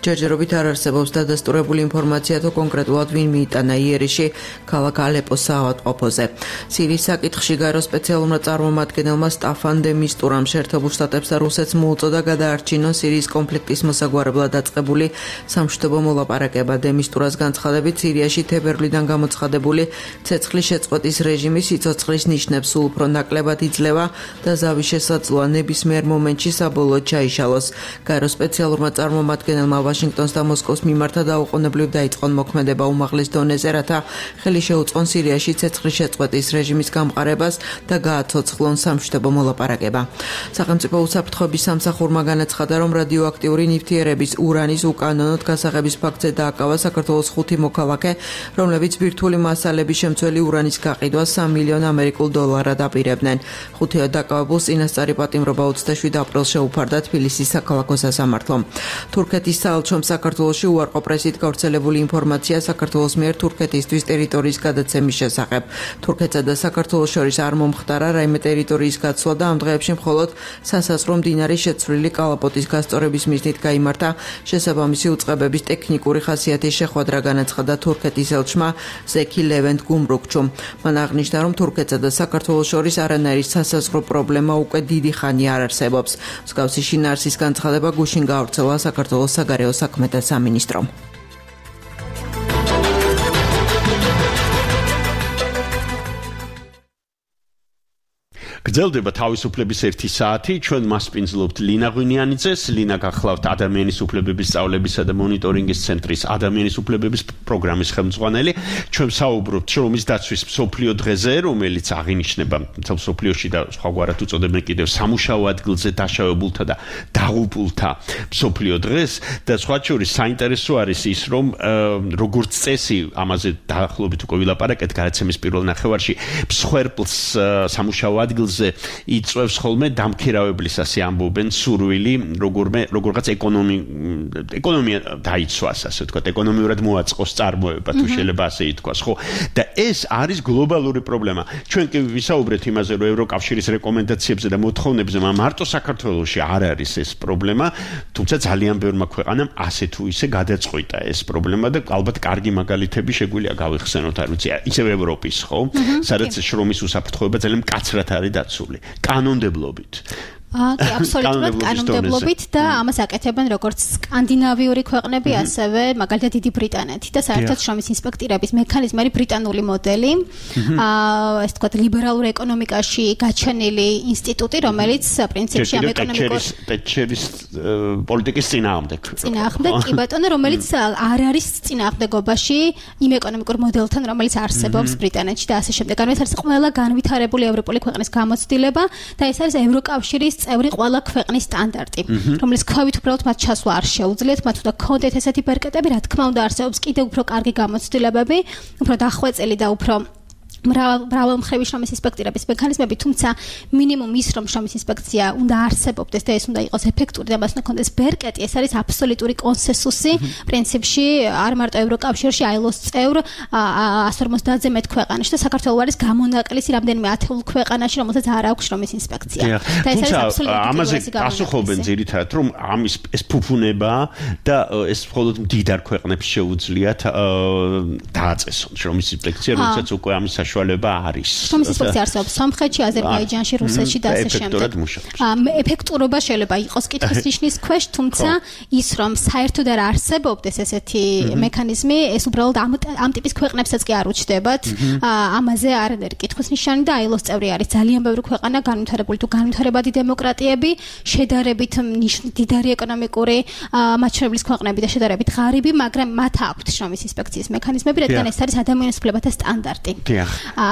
ჯერჯერობით არ არსებობს დადასტურებული ინფორმაცია თუ კონკრეტულად ვინ მიიტანა იერიში ქალაქ ალეპოს საავადმყოფოზე. სირიის საკითხში გაერო სპეციალურმა წარმომადგენელმა სტაფან დე მისტურამ შეერთებულ შტატებს და რუსეთს მოუწოდა გადაარჩინონ სირიის კონფლიქტის მოსაგვარებლად დაწყებული სამშვიდობო მოლაპარაკება. დე მისტურას განცხადებით სირიაში თებერვლიდან გამოცხადებული ცეცხლის შეწყვეტის რეჟიმი სიცოცხლის ნიშნებს სულ უფრო ნაკლებად იძლევა და ზავის შესაძლოა ნებისმიერ მომენტში საბოლოოდ ჩაიშალოს. გაერო სპეციალურმა წარმომადგენელმა ვაშინგტონს და მოსკოვს მიმართა დაუყოვნებლივ დაიწყონ მოქმედება უმაღლეს დონეზე, რათა ხელი შეუწყონ სირიაში ცეცხლის შეწყვეტის რეჟიმის გამყარებას და გააცოცხლონ სამშვიდობო მოლაპარაკება. სახელმწიფო უსაფრთხოების სამსახურმა განაცხადა რომ რადიოაქტიური ნივთიერების ურანის უკანონოდ გასაღების ფაქტზე დააკავა საქართველოს ხუთი მოქალაქე, რომლებიც ბირთვული მასალების შემცველი ურანის გაყიდვას სამი მილიონ ამერიკულ დოლარად აპირებდნენ. ხუთივე დაკავებულს წინასწარი პატიმრობა ოცდაშვიდ აპრილს შეუფარდა თბილისის საქალაქო სასამართლომ. თურქეთის საელჩომ საქართველოში უარყოფრესით გავრცელებული ინფორმაცია საქართველოს მიერ თურქეთისთვის ტერიტორიის გადაცემის შესახებ. თურქეთსა და საქართველოს შორის არ მომხდარა რაიმე ტერიტორიის გაცვლა და ამ დღეებში მხოლოდ სასაზღვრო მდინარის შეცვლილი კალაპოტის გასწორების მიზნით გაიმართა შესაბამისი უწყებების ტექნიკური ხასიათის შეხვედრა, განაცხადა თურქეთის ელჩმა ზექი ლევენტ გუმრუქჩუმ. მან აღნიშნა, რომ თურქეთსა და საქართველოს შორის არანაირი სასაზღვრო პრობლემა უკვე დიდი ხანი არ არსებობს. მსგავსი შინაარსის განცხადება გუშინ გავრცელა საქართველოს საგარეო საქმეთა სამინისტრომ. გრძელდება თავისუფლების ერთი საათი. ჩვენ მასპინძლობთ ლინა ღვინიანიძეს. ლინა გახლავთ ადამიანის უფლებების სწავლებისა და მონიტორინგის ცენტრის ადამიანის უფლებების პროგრამის ხელმძღვანელი. ჩვენ საუბრობთ შრომის დაცვის მსოფლიო დღეზე, რომელიც აღინიშნება მსოფლიოში და სხვაგვარად უწოდებენ კიდევ სამუშაო ადგილზე დაშავებულთა და დაღუპულთა მსოფლიო დღეს და სხვა შორის საინტერესო არის ის, რომ როგორც წესი ამაზე დაახლოებით უკვე ვილაპარაკეთ გადაცემის პირველ ნახევარში, მსხვერპლს სამუშაო ადგილზე იწვევს ხოლმე დამქირავებლის ასე ამბობენ სურვილი როგორმე როგორღაც ეკონომი ეკონომია დაიცვას ასე ვთქვათ ეკონომიურად მოაწყოს წარმოება თუ შეიძლება ასე ითქვას ხო და ეს არის გლობალური პრობლემა ჩვენ კი ვისაუბრეთ იმაზე რომ ევროკავშირის რეკომენდაციებზე და მოთხოვნებზე მარტო საქართველოში არ არის ეს პრობლემა თუმცა ძალიან ბევრმა ქვეყანამ ასე თუ ისე გადაწყვიტა ეს პრობლემა და ალბათ კარგი მაგალითები შეგვიძლია გავიხსენოთ არ ვიცი ისევ ევროპის ხო სადაც შრომის უსაფრთხოება ძალიან მკაცრად არის დაცული კანონმდებლობით კი, აბსოლუტურად კანონმდებლობით და ამას აკეთებენ როგორც სკანდინავიური ქვეყნები, ასევე მაგალითად დიდი ბრიტანეთი და საერთოდ შრომის ინსპექტირების მექანიზმი არის ბრიტანული მოდელი. აა ეს თქვა ლიბერალურ ეკონომიკაში გაჩენილი ინსტიტუტი, რომელიც პრინციპში ამ ეკონომიკურ ტეჩერის პოლიტიკის წინააღმდეგ. წინააღმდეგ, კი ბატონო, რომელიც არ არის წინააღმდეგობაში იმ ეკონომიკურ მოდელთან, რომელიც არსებობს ბრიტანეთში და ასე შემდეგ. ანუ ეს არის ყველა განვითარებული ევროპული ქვეყნის გამოცდილება და ეს არის ევროკავშირის წევრი ყველა ქვეყნის სტანდარტი, რომელიც ქვევით უბრალოდ მათ ჩასვლა არ შეუძლიათ, მათ უნდა ქონდეთ ესეთი ბერკეტები, რა თქმა უნდა არსებობს კიდევ უფრო კარგი გამოცდილებები, უფრო დახვეწილი და უფრო მრავალ მხრივი შრომის ინსპექტირების მექანიზმები, თუმცა მინიმუმ ის რომ შრომის ინსპექცია უნდა არსებობდეს და ეს უნდა იყოს ეფექტური და მას უნდა კონდეს ბერკეტი, ეს არის აბსოლუტური კონსენსუსი პრინციპში არ მარტო ევროკავშირში, აილოს წევრ ას ორმოცდაათზე მეტ ქვეყანაში და საქართველოს არის გამონაკლისი რამდენიმე ათეულ ქვეყანაში, რომელსაც არ აქვს შრომის ინსპექცია. და ეს არის აბსოლუტური ამაზე გასუხობენ ძირითადად რომ ამის ეს ფუფუნება და ეს მხოლოდ მდიდარ ქვეყნებს შეუძლიათ დააწესონ შრომის ინსპექცია, როდესაც უკვე ამის საშუალება არის. შრომის ინსპექცია არსებობს სომხეთში, აზერბაიჯანში, რუსეთში და ასე შემდეგ. ეფექტურობა შეიძლება იყოს კითხვის ნიშნის ქვეშ, თუმცა ის რომ საერთოდ არ არსებობდეს ესეთი მექანიზმი, ეს უბრალოდ ამ ამ ტიპის ქვეყნებსაც კი არ უჩნდებათ. ამაზე არანაირი კითხვის ნიშანი და აილოს წევრი არის ძალიან ბევრი ქვეყანა, განვითარებული თუ განვითარებადი დემოკრატიები, შედარებით მდიდარი ეკონომიკური მაჩვენებლის ქვეყნები და შედარებით ღარიბი, მაგრამ მათ აქვთ შრომის ინსპექციის მექანიზმები, რადგან ეს არის ადამიანის უფლებათა სტანდარტი.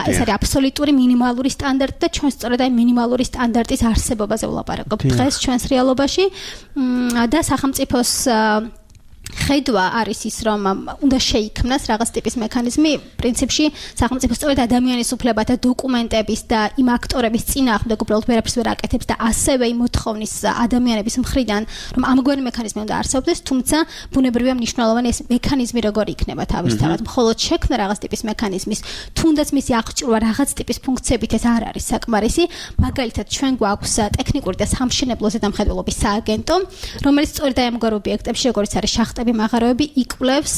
ეს არის აბსოლუტური მინიმალური სტანდარტი და ჩვენ სწორედ აი მინიმალური სტანდარტის არსებობაზე ვლაპარაკობთ დღეს ჩვენს რეალობაში და სახელმწიფოს ხედვა არის ის რომ უნდა შეიქმნას რაღაც ტიპის მექანიზმი პრინციპში სახელმწიფო სწორედ ადამიანის უფლებათა დოკუმენტების და იმ აქტორების წინააღმდეგ უბრალოდ ვერაფერს ვერ აკეთებს და ასევე იმ მოთხოვნის ადამიანების მხრიდან რომ ამგვარი მექანიზმი უნდა არსებობდეს თუმცა ბუნებრივია მნიშვნელოვანი ეს მექანიზმი როგორ იქნება თავისთავად მხოლოდ შექმნა რაღაც ტიპის მექანიზმის თუნდაც მისი აღჭურვა რაღაც ტიპის ფუნქციებით ეს არ არის საკმარისი მაგალითად ჩვენ გვაქვს ტექნიკური და სამშენებლო ზედამხედველობის სააგენტო რომელიც სწორედ აი ამგვარ ობიექტებში როგორც არის შახტები მაღაროები იკვლევს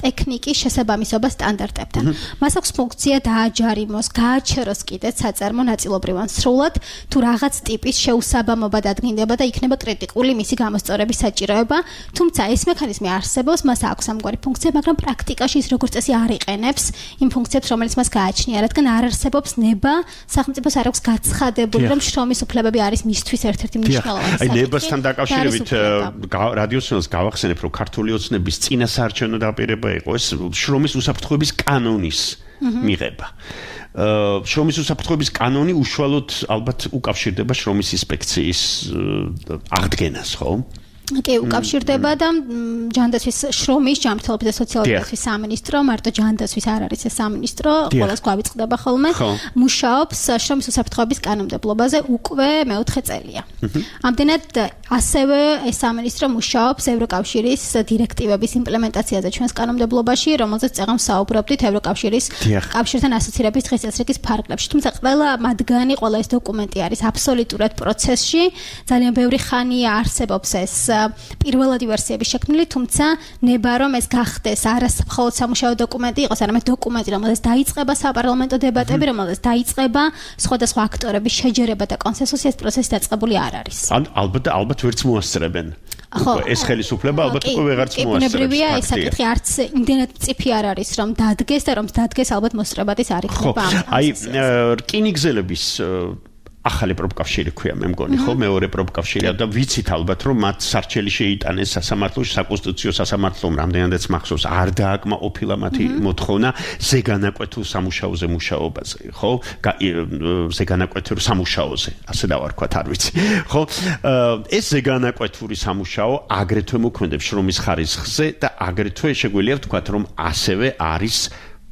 ტექნიკის შესაბამისობას სტანდარტებთან. მას აქვს ფუნქცია დააჯარიმოს, გააჩეროს კიდეც საწარმო ნაწილობრივ ან სრულად თუ რაღაც ტიპის შეუსაბამობა დადგინდება და იქნება კრიტიკული მისი გამოსწორების საჭიროება. თუმცა ეს მექანიზმი არსებობს, მას აქვს ამგვარი ფუნქცია, მაგრამ პრაქტიკაში ის როგორც წესი არ იყენებს იმ ფუნქციებს, რომელიც მას გააჩნია, რადგან არ არსებობს ნება, სახელმწიფოს არ აქვს გაცხადებული, რომ შრომის უფლებები არის მისთვის ერთ-ერთი მნიშვნელოვანი საკითხი. აი ნებასთან დაკავშირებით რადიოსნელს გავახსენებ, რომ ქართული ოცნების წინასაარჩევნო დაპირება იყო ეს შრომის უსაფრთხოების კანონის მიღება. შრომის უსაფრთხოების კანონი უშუალოდ ალბათ უკავშირდება შრომის ინსპექციის აღდგენას, ხო? კი, უკავშირდება და ჯანდაცვის შრომის ჯანმრთელობის და სოციალური დაცვის სამინისტრო, მარტო ჯანდაცვის არ არის ეს სამინისტრო, ყველას გვავიწყდება ხოლმე, მუშაობს შრომის უსაფრთხოების კანონმდებლობაზე უკვე მეოთხე წელია. ამდენად ასევე ეს სამინისტრო მუშაობს ევროკავშირის დირექტივების იმპლემენტაციაზე ჩვენს კანონმდებლობაში, რომელზეც წეღან საუბრობდით ევროკავშირის კავშირთან ასოცირების დღესასწაულის ფარგლებში. თუმცა ყველა მათგანი, ყველა ეს დოკუმენტი არის აბსოლუტურად პროცესში, ძალიან ბევრი ხანია არსებობს ეს პირველადი ვერსიები შექმნილი, თუმცა ნება რომ ეს გახდეს არა მხოლოდ სამუშაო დოკუმენტი იყოს, არამედ დოკუმენტი, რომელზეც დაიწყება საპარლამენტო დებატები, რომელზეც დაიწყება სხვადასხვა აქტორების შეჯერება და კონსენსუსი, ეს პროცესი დაწყებული არ არის. ალბათ ალბათ ვერც მოასწრებენ. ეს ხელისუფლება ალბათ უკვე ვეღარც მოასწრებს. ბუნებრივია ეს საკითხი არც იმდენად მწიფი არ არის, რომ დადგეს და რომ დადგეს ალბათ მოსწრებადის არ იქნება ამ. აი რკინიგზელების ახალი პროფკავშირი ქვია მე მგონი ხო მეორე პროფკავშირია და ვიცით ალბათ რომ მათ სარჩელი შეიტანეს სასამართლოში საკონსტიტუციო სასამართლომ რამდენადაც მახსოვს არ დააკმაყოფილა მათი მოთხოვნა ზეგანაკვეთურ სამუშაოზე მუშაობაზე ხო ზეგანაკვეთურ სამუშაოზე ასე დავარქვათ არ ვიცი ხო ეს ზეგანაკვეთური სამუშაო აგრეთვე მოქმედებს შრომის ხარისხზე და აგრეთვე შეგვიძლია ვთქვათ რომ ასევე არის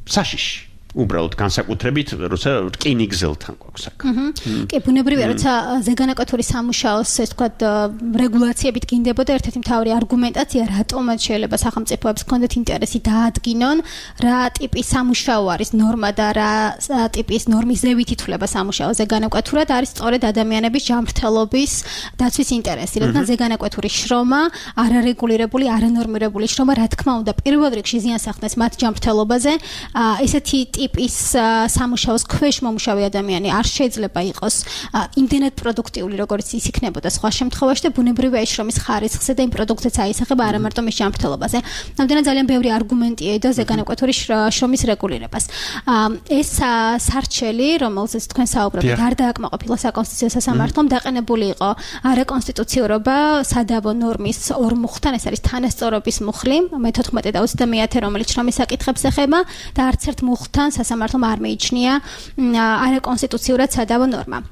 საშიში უბრალოდ განსაკუთრებით როცა რკინიგზელთან გვაქვს აქ. კი, ბუნებრივია, როცა ზეგანაკვეთური სამუშაოს, ეს ვთქვათ, რეგულაციებით გინდებოდა ერთ-ერთი მთავარი არგუმენტაცია, რატომაც შეიძლება სახელმწიფოებს ჰქონდეთ ინტერესი დაადგინონ, რა ტიპის სამუშაო არის ნორმა და რა ტიპის ნორმის ზევით ითვლება სამუშაო ზეგანაკვეთურად, არის სწორედ ადამიანების ჯანმრთელობის დაცვის ინტერესი. რადგან ზეგანაკვეთური შრომა, არარეგულირებული, არანორმირებული შრომა, რა თქმა უნდა, პირველ რიგში ზიანს ახდენს მათ ჯანმრთელობაზე. ესეთი ტიპის სამუშაოს ქვეშ მომუშავე ადამიანი არ შეიძლება იყოს იმდენად პროდუქტიული, როგორც ის იქნებოდა სხვა შემთხვევაში და ბუნებრივია ის შრომის ხარისხზე და იმ პროდუქტებს აისახება არა მარტო მის ჯანმრთელობაზე. ამდენად ძალიან ბევრი არგუმენტია და ზეგანაკვეთური შრომის რეგულირებას. ეს სარჩელი, რომელზეც თქვენ საუბრობთ, არ დააკმაყოფილა საკონსტიტუციო სასამართლომ, დაყენებული იყო არაკონსტიტუციურობა სადავო ნორმის ორ მუხთან, ეს არის თანასწორობის მუხლი, მეთოთხმეტე და ოცდამეათე, რომელიც შრომის საკითხებს ეხება და არც ერთ მუხთან სასამართლომ არ მეიჩნია არაკონსტიტუციურად სადავო ნორმა.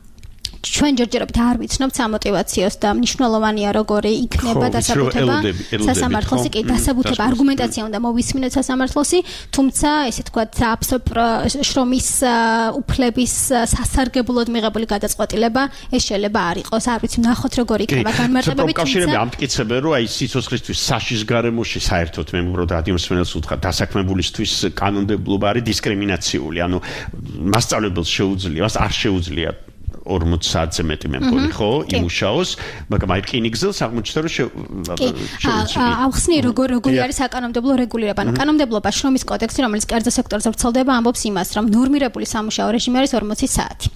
ჩვენ ჯერჯერობით არ ვიცნობთ სამოტივაციოს და მნიშვნელოვანია როგორი იქნება დასაბუთება სასამართლოსი, კი დასაბუთება არგუმენტაცია უნდა მოვისმინოთ სასამართლოსი, თუმცა ესე თქვა შრომის უფლების სასარგებლოდ მიღებული გადაწყვეტილება ეს შეიძლება არ იყოს, არ ვიცი, ნახოთ როგორი იქნება განმარტებები, თუმცა ამტკიცებენ რომ აი სიცოცხლისთვის საშის გარემოში საერთოდ მე მგონი რადიო მსმენელს უთხრა დასაქმებულისთვის კანონმდებლობა არის დისკრიმინაციული, ანუ მასწავლებელს შეუძლია, მას არ შეუძლია ორმოც საათზე მეტი მე მგონი ხო იმუშაოს, მაგრამ აი რკინიგზელს აღმოჩნდა რომ შეუძლია. ახსნი როგორ როგორი არის საკანონმდებლო რეგულირება. ანუ კანონმდებლობა შრომის კოდექსი, რომელიც კერძო სექტორზე ვრცელდება, ამბობს იმას, რომ ნორმირებული სამუშაო რეჟიმი არის ორმოცი საათი.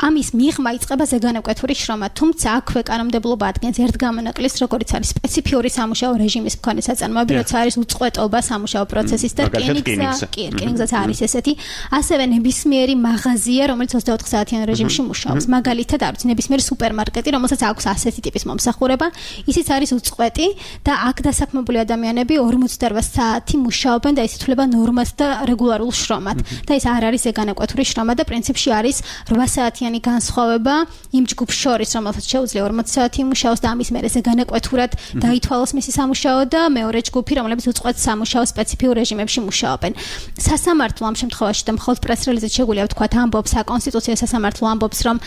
ამის მიღმა იწყება ზეგანაკვეთური შრომა, თუმცა აქვე კანონმდებლობა ადგენს ერთ გამონაკლისს, როგორც არის სპეციფიური სამუშაო რეჟიმის მქონე საწარმოები, როცა არის უწყვეტობა სამუშაო პროცესის და რკინიგზა, კი, რკინიგზაც არის ესეთი. ასევე ნებისმიერი მაღაზია, რომელიც ოცდაოთხ საათიან რეჟიმში მუშაობს. მაგალითად, არის ნებისმიერი სუპერმარკეტი, რომელსაც აქვს ასეთი ტიპის მომსახურება, ისიც არის უწყვეტი და აქ დასაქმებული ადამიანები ორმოცდაოთხ საათი მუშაობენ და ისithulება ნორმად და რეგულარულ შრომად. და ეს არ არის ზეგანაკვეთური შრომა და პრინციპში არის რვა საათიანი განსხვავება იმ ჯგუფს შორის, რომელსაც შეუძლია ორმოცი საათი იმუშაოს და ამის მერე ზეგანაკვეთურად დაითვალოს მისი სამუშაო და მეორე ჯგუფი, რომლებიც უწყვეტ სამუშაო სპეციფიურ რეჟიმებში მუშაობენ. სასამართლო ამ შემთხვევაში და მხოლოდ პრეს-რელიზით შეგვიძლია ვთქვათ, ამბობს საკონსტიტუციო სასამართლო ამბობს, რომ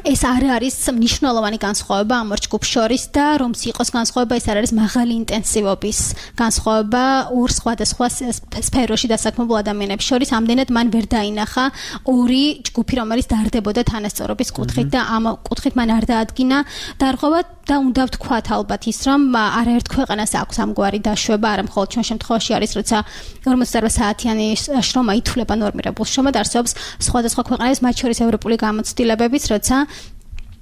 ეს არ არის მნიშვნელოვანი განსხვავება ამ ორ ჯგუფს შორის და რომც იყოს განსხვავება, ეს არ არის მაღალი ინტენსივობის განსხვავება ორ სხვადასხვა სფეროში დასაქმებულ ადამიანებს შორის. ამდენად მან ვერ დაინახა ორი ჯგუფი, რომელიც დარდებოდა თანასწორობის კუთხით და ამ კუთხით მან არ დაადგინა დარღვევა და უნდა ვთქვათ ალბათ ის, რომ არაერთ ქვეყანას აქვს ამგვარი დაშვება, არა მხოლოდ ჩვენ შემთხვევაში არის, როცა ორმოცდაოთხ საათიანი შრომა ითვლება ნორმირებულ შრომად, არსებობს სხვადასხვა ქვეყანების, მათ შორის ევროპული გამოცდილებებიც, როცა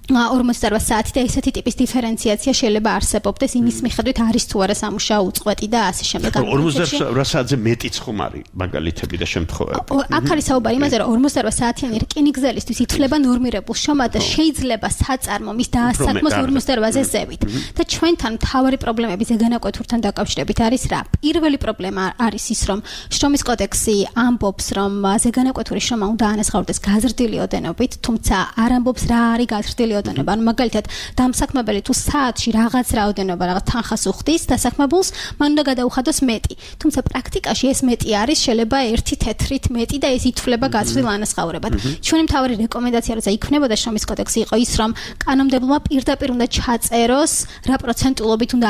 ორმოცდაოთხ საათი და ესეთი ტიპის დიფერენციაცია შეიძლება არსებობდეს იმის მიხედვით არის თუ არა სამუშაო უწყვეტი და ასე შემდეგ. ორმოცდაოთხ საათზე მეტიც ხომ არის მაგალითები და შემთხვევები. აქ არის საუბარი იმაზე, რომ ორმოცდაოთხ საათიანი რკინიგზელისთვის ითვლება ნორმირებულ შრომად და შეიძლება საწარმო მის დაასაქმოს ორმოცდაოთხ-ზე ზევით. და ჩვენთან მთავარი პრობლემები ზეგანაკვეთურთან დაკავშირებით არის რა? პირველი პრობლემა არის ის, რომ შრომის კოდექსი ამბობს, რომ ზეგანაკვეთური შრომა უნდა ანაზღაურდეს გაზრდილი ოდენობით, თუმცა არ ამბობს რა არის გაზრდილი ოდენობა. ანუ მაგალითად, დამსაქმებელი თუ საათში რაღაც რაოდენობა, რაღაც თანხას უხდის დასაქმებულს, მან უნდა გადაუხადოს მეტი. თუმცა პრაქტიკაში ეს მეტი არის შეიძლება ერთი თეთრით მეტი და ეს ითვლება გაზრდილ ანაზღაურებად. ჩვენი მთავარი რეკომენდაცია, როცა იქმნებოდა შრომის კოდექსი, იყო ის, რომ კანონმდებლობა პირდაპირ უნდა ჩაწეროს, რა პროცენტულობით უნდა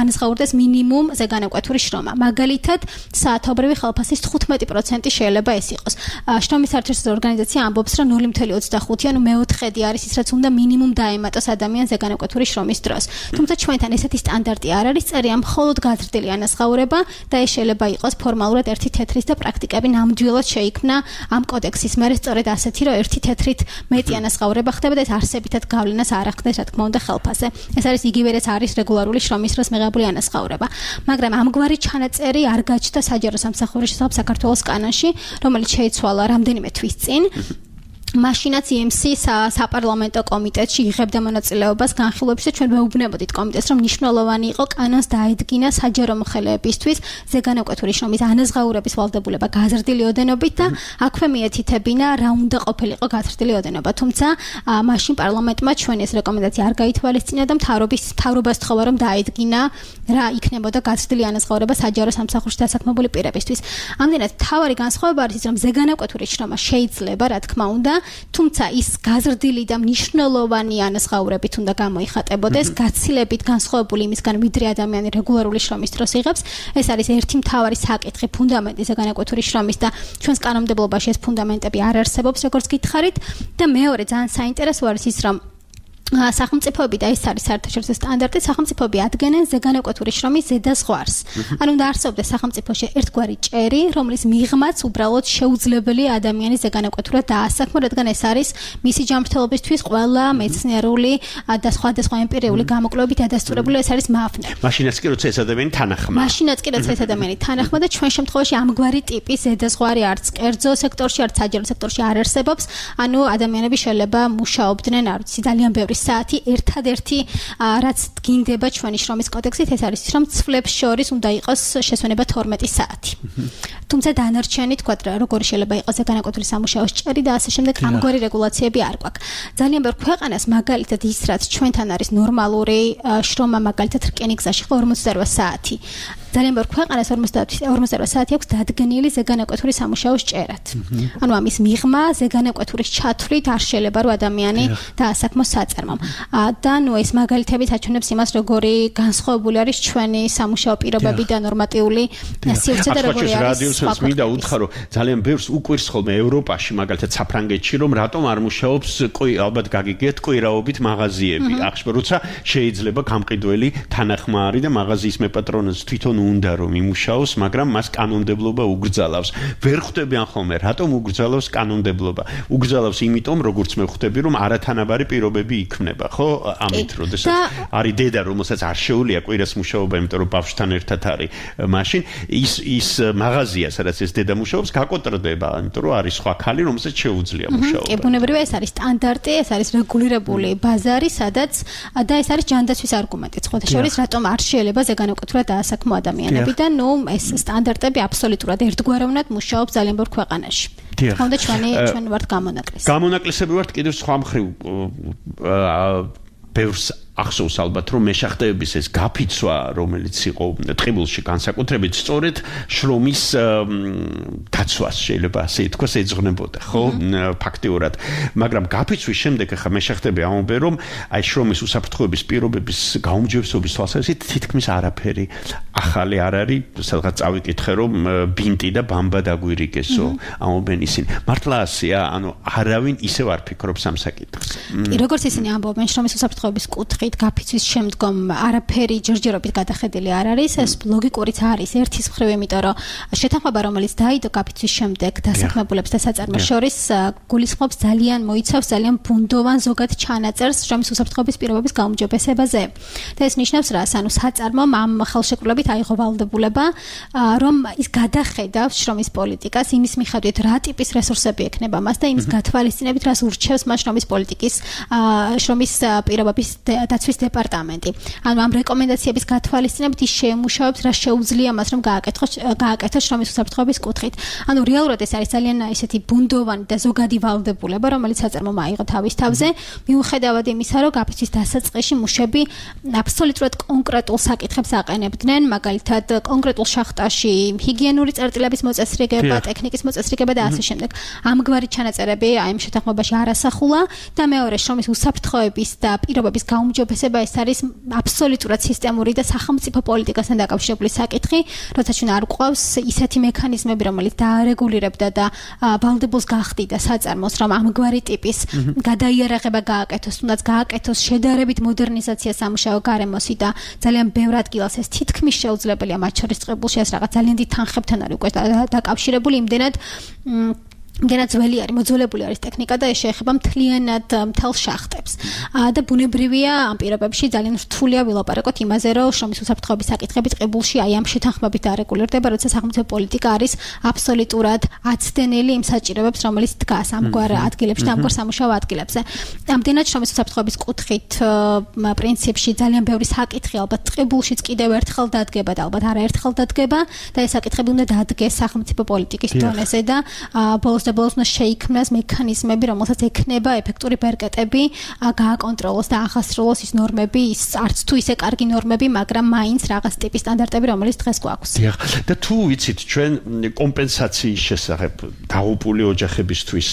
ანაზღაურდეს მინიმუმ ზეგანაკვეთური შრომა. მაგალითად, საათობრივი ხელფასის თხუთმეტი პროცენტი შეიძლება ეს იყოს. შრომის საერთაშორისო ორგანიზაცია ამბობს, რომ ნული მეთერთმეტი ოცდახუთი, ანუ მეოთხედი არის ის, რაც უნდა მინიმუმ დაემატოს ადამიანს ზეგანაკვეთური შრომის დროს. თუმცა ჩვენთან ესეთი სტანდარტი არ არის, წერია მხოლოდ გაზრდილი ანაზღაურება და ეს შეიძლება იყოს ფორმალურად ერთი თეთრის და პრაქტიკები ნამდვილად შეიქმნა ამ კოდექსის მერე სწორედ ასეთი, რომ ერთი თეთრით მეტი ანაზღაურება ხდება და ეს არსებითად გავლენას არ ახდენს, რა თქმა უნდა, ხელფასზე. ეს არის იგივე რაც არის რეგულარული შრომის დროს მიღებული ანაზღაურება. მაგრამ ამგვარი ჩანაწერი არ გაჩნდა საჯარო სამსახურის შესახებ საქართველოს კანონში, რომელიც შეიცვალა რამდენიმე თვის წინ. მაშინაც ი ემ სი საპარლამენტო კომიტეტში იღებდა მონაწილეობას განხილვებში და ჩვენ ვეუბნებოდით კომიტეტს, რომ მნიშვნელოვანი იყო კანონს დაედგინა საჯარო მოხელეებისთვის ზეგანაკვეთური შრომის ანაზღაურების ვალდებულება გაზრდილი ოდენობით და აქვე მიეთითებინა რა უნდა ყოფილიყო გაზრდილი ოდენობა. თუმცა მაშინ პარლამენტმა ჩვენ ეს რეკომენდაცია არ გაითვალისწინა და მთავრობის მთავრობას თხოვა, რომ დაედგინა რა იქნებოდა გაზრდილი ანაზღაურება საჯარო სამსახურში დასაქმებული პირებისთვის. ამდენად მთავარი განსხვავება არის ის, რომ ზეგანაკვეთური შრომა შეიძლება, რა თქმა უნდა, თუმცა ის გაზრდილი და მნიშვნელოვანი ანაზღაურებით უნდა გამოიხატებოდეს, გაცილებით განსხვავებული იმისგან, ვიდრე ადამიანი რეგულარული შრომის დროს იღებს. ეს არის ერთი მთავარი საკითხი ფუნდამენტი ზეგანაკვეთური შრომის და ჩვენს კანონმდებლობაში ეს ფუნდამენტები არ არსებობს, როგორც გითხარით. და მეორე ძალიან საინტერესო არის ის, რომ სახელმწიფოები და ეს არის საერთაშორისო სტანდარტი, სახელმწიფოები ადგენენ ზეგანაკვეთური შრომის ზედაზღვარს. ანუ უნდა არსებობდეს სახელმწიფოში ერთგვარი ჭერი, რომლის მიღმაც უბრალოდ შეუძლებელია ადამიანის ზეგანაკვეთურად დაასაქმო, რადგან ეს არის მისი ჯანმრთელობისთვის ყველა მეცნიერული და სხვადასხვა ემპირიული გამოკვლევებით დადასტურებული, ეს არის მაფნე. მაშინაც კი როცა ეს ადამიანი თანახმა. მაშინაც კი როცა ეს ადამიანი თანახმა და ჩვენ შემთხვევაში ამგვარი ტიპის ზედაზღვარი არც კერძო სექტორში, არც საჯარო სექტორში არ არსებობს. ანუ ადამიანები შეიძლება მუშაობდნენ, არ ვიცი, ძალიან ბევრი ორი საათი ერთადერთი რაც გინდება ჩვენი შრომის კოდექსით ეს არის რომ ცვლებს შორის უნდა იყოს შესვენება თორმეტი საათი. თუმცა დანარჩენი თქვა როგორი შეიძლება იყოს განაკვეთილი სამუშაოს ჭერი და ასე შემდეგ ამგვარი რეგულაციები არ გვაქვს. ძალიან ბევრ ქვეყანას მაგალითად ის რაც ჩვენთან არის ნორმალური შრომა მაგალითად რკინიგზაში ხო ორმოცდაოთხ საათი. ძალიან ბევრ ქვეყანას ორმოცდაოთხ საათი აქვს დადგენილი ზეგანაკვეთური სამუშაოს ჭერად. ანუ ამის მიღმა ზეგანაკვეთურის ჩათვლით არ შეიძლება რომ ადამიანი დაასაქმოს საწარმომ. და ნუ ეს მაგალითები აჩვენებს იმას როგორი განსხვავებული არის ჩვენი სამუშაო პირობები და ნორმატიული სივრცე და როგორი არის. რადიოსაც მინდა უთხრა რომ ძალიან ბევრს უკვირს ხოლმე ევროპაში მაგალითად საფრანგეთში რომ რატომ არ მუშაობს ალბათ გაგიგეთ კვირაობით მაღაზიები. ახშ როცა შეიძლება გამყიდველი თანახმარი და მაღაზიის მეპატრონოს თვითონ უნდა რომ იმუშაოს, მაგრამ მას კანონმდებლობა უგრძალავს. ვერ ხვდებიან ხოლმე, რატომ უგრძალავს კანონმდებლობა? უგრძალავს იმიტომ, როგორც მე ხვდები, რომ არათანაბარი პირობები იქმნება, ხო? ამით, როდესაც არის დედა, რომელსაც არ შეუძლია კვირას მუშაობა, იმიტომ რომ ბავშვთან ერთად არის, მაშინ ის ის მაღაზია, სადაც ეს დედა მუშაობს, გაკოტრდება, იმიტომ რომ არის სხვა ქალი, რომელსაც შეუძლია მუშაობა. კი, ბუნებრივია, ეს არის სტანდარტი, ეს არის რეგულირებული ბაზარი, სადაც და ეს არის ჯანდაცვის არგუმენტი. ხოთა შორის, რატომ არ შეიძლება ზეგანაკვეთურად დაასაქმო ადამიანები და ნუ ეს სტანდარტები აბსოლუტურად ერთგვაროვნად მუშაობს ძალიან ბევრ ქვეყანაში. თქონდა ჩვენი ჩვენ ვართ გამონაკლისი. გამონაკლისები ვართ კიდევ სხვა მხრივ ბევრს ახსოვს ალბათ რომ მეშახტეების ეს გაფიცვა რომელიც იყო ტყიბულში განსაკუთრებით სწორედ შრომის დაცვას შეიძლება ასე ითქვას ეძღვნებოდა ხო ფაქტიურად მაგრამ გაფიცვის შემდეგ ახლა მეშახტები ამბობენ რომ აი შრომის უსაფრთხოების პირობების გაუმჯობესების თვალსაზრისით თითქმის არაფერი ახალი არ არის სადღაც წავიკითხე რომ ბინტი და ბამბა დაგვირიგესო ამბობენ ისინი მართლა ასეა ანუ არავინ ისევ არ ფიქრობს ამ საკითხს როგორც ისინი ამბობენ შრომის უსაფრთხოების კუთხით გაფიცვის შემდგომ არაფერი ჯერჯერობით გადახედილი არ არის ეს ლოგიკურიც არის ერთის მხრივ იმიტომ რომ შეთანხმება რომელიც დაიდო გაფიცვის შემდეგ დასაქმებულებს და საწარმოს შორის გულისხმობს ძალიან მოიცავს ძალიან ბუნდოვან ზოგად ჩანაწერს შრომის უსაფრთხოების პირობების გაუმჯობესებაზე და ეს ნიშნავს რას ანუ საწარმომ ამ ხელშეკრულებით აიღო ვალდებულება რომ ის გადახედავს შრომის პოლიტიკას იმის მიხედვით რა ტიპის რესურსები ექნება მას და იმის გათვალისწინებით რას ურჩევს მას შრომის პოლიტიკის შრომის პირობების დაცვის დეპარტამენტი. ანუ ამ რეკომენდაციების გათვალისწინებით ის შეემუშავებს რა შეუძლია მას რომ გააკეთოს გააკეთოს შრომის უსაფრთხოების კუთხით. ანუ რეალურად ეს არის ძალიან ესეთი ბუნდოვანი და ზოგადი ვალდებულება, რომელიც საწარმომ აიღო თავის თავზე, მიუხედავად იმისა, რომ გაფიცვის დასაწყისში მუშები აბსოლუტურად კონკრეტულ საკითხებს აყენებდნენ, მაგალითად კონკრეტულ შახტაში ჰიგიენური წერტილების მოწესრიგება, ტექნიკის მოწესრიგება და ასე შემდეგ. ამგვარი ჩანაწერები აი ამ შეთანხმებაში არ ასახულა და მეორე შრომის უსაფრთხოების და პირობების გაუმჯობესება ეს არის აბსოლუტურად სისტემური და სახელმწიფო პოლიტიკასთან დაკავშირებული საკითხი, როცა ჩვენ არ გვყავს ისეთი მექანიზმები, რომელიც დაარეგულირებდა და ვალდებულს გახდიდა საწარმოს, რომ ამგვარი ტიპის გადაიარაღება გააკეთოს, თუნდაც გააკეთოს შედარებით მოდერნიზაცია სამუშაო გარემოსი და ძალიან ბევრ ადგილას ეს თითქმის შეუძლებელია, მათ შორის წყებულში ეს რაღაც ძალიან დიდ თანხებთან არის უკვე დაკავშირებული, იმდენად იმდენად ძველი არის, მოძველებული არის ტექნიკა და ეს შეეხება მთლიანად მთელ შახტებს. და ბუნებრივია ამ პირობებში ძალიან რთულია ვილაპარაკოთ იმაზე, რომ შრომის უსაფრთხოების საკითხები წყებულში აი ამ შეთანხმებით არეგულირდება, როცა სახელმწიფო პოლიტიკა არის აბსოლუტურად აცდენილი იმ საჭიროებებს, რომელიც დგას ამგვარ ადგილებში და ამგვარ სამუშაო ადგილებზე. ამდენად შრომის უსაფრთხოების კუთხით პრინციპში ძალიან ბევრი საკითხი ალბათ წყებულშიც კიდევ ერთხელ დადგება და ალბათ არაერთხელ დადგება და ეს საკითხები უნდა დადგეს სახელმწიფო პოლიტიკის დონეზე და ბოლოს და ბოლოს უნდა შეიქმნას მექანიზმები, რომელსაც ექნება ეფექტური ბერკეტები, გააკონტროლოს და ახასრულოს ის ნორმები, ის არც თუ ისე კარგი ნორმები, მაგრამ მაინც რაღაც ტიპის სტანდარტები, რომელიც დღეს გვაქვს. დიახ, და თუ ვიცით, ჩვენ კომპენსაციის შესახებ დაღუპული ოჯახებისთვის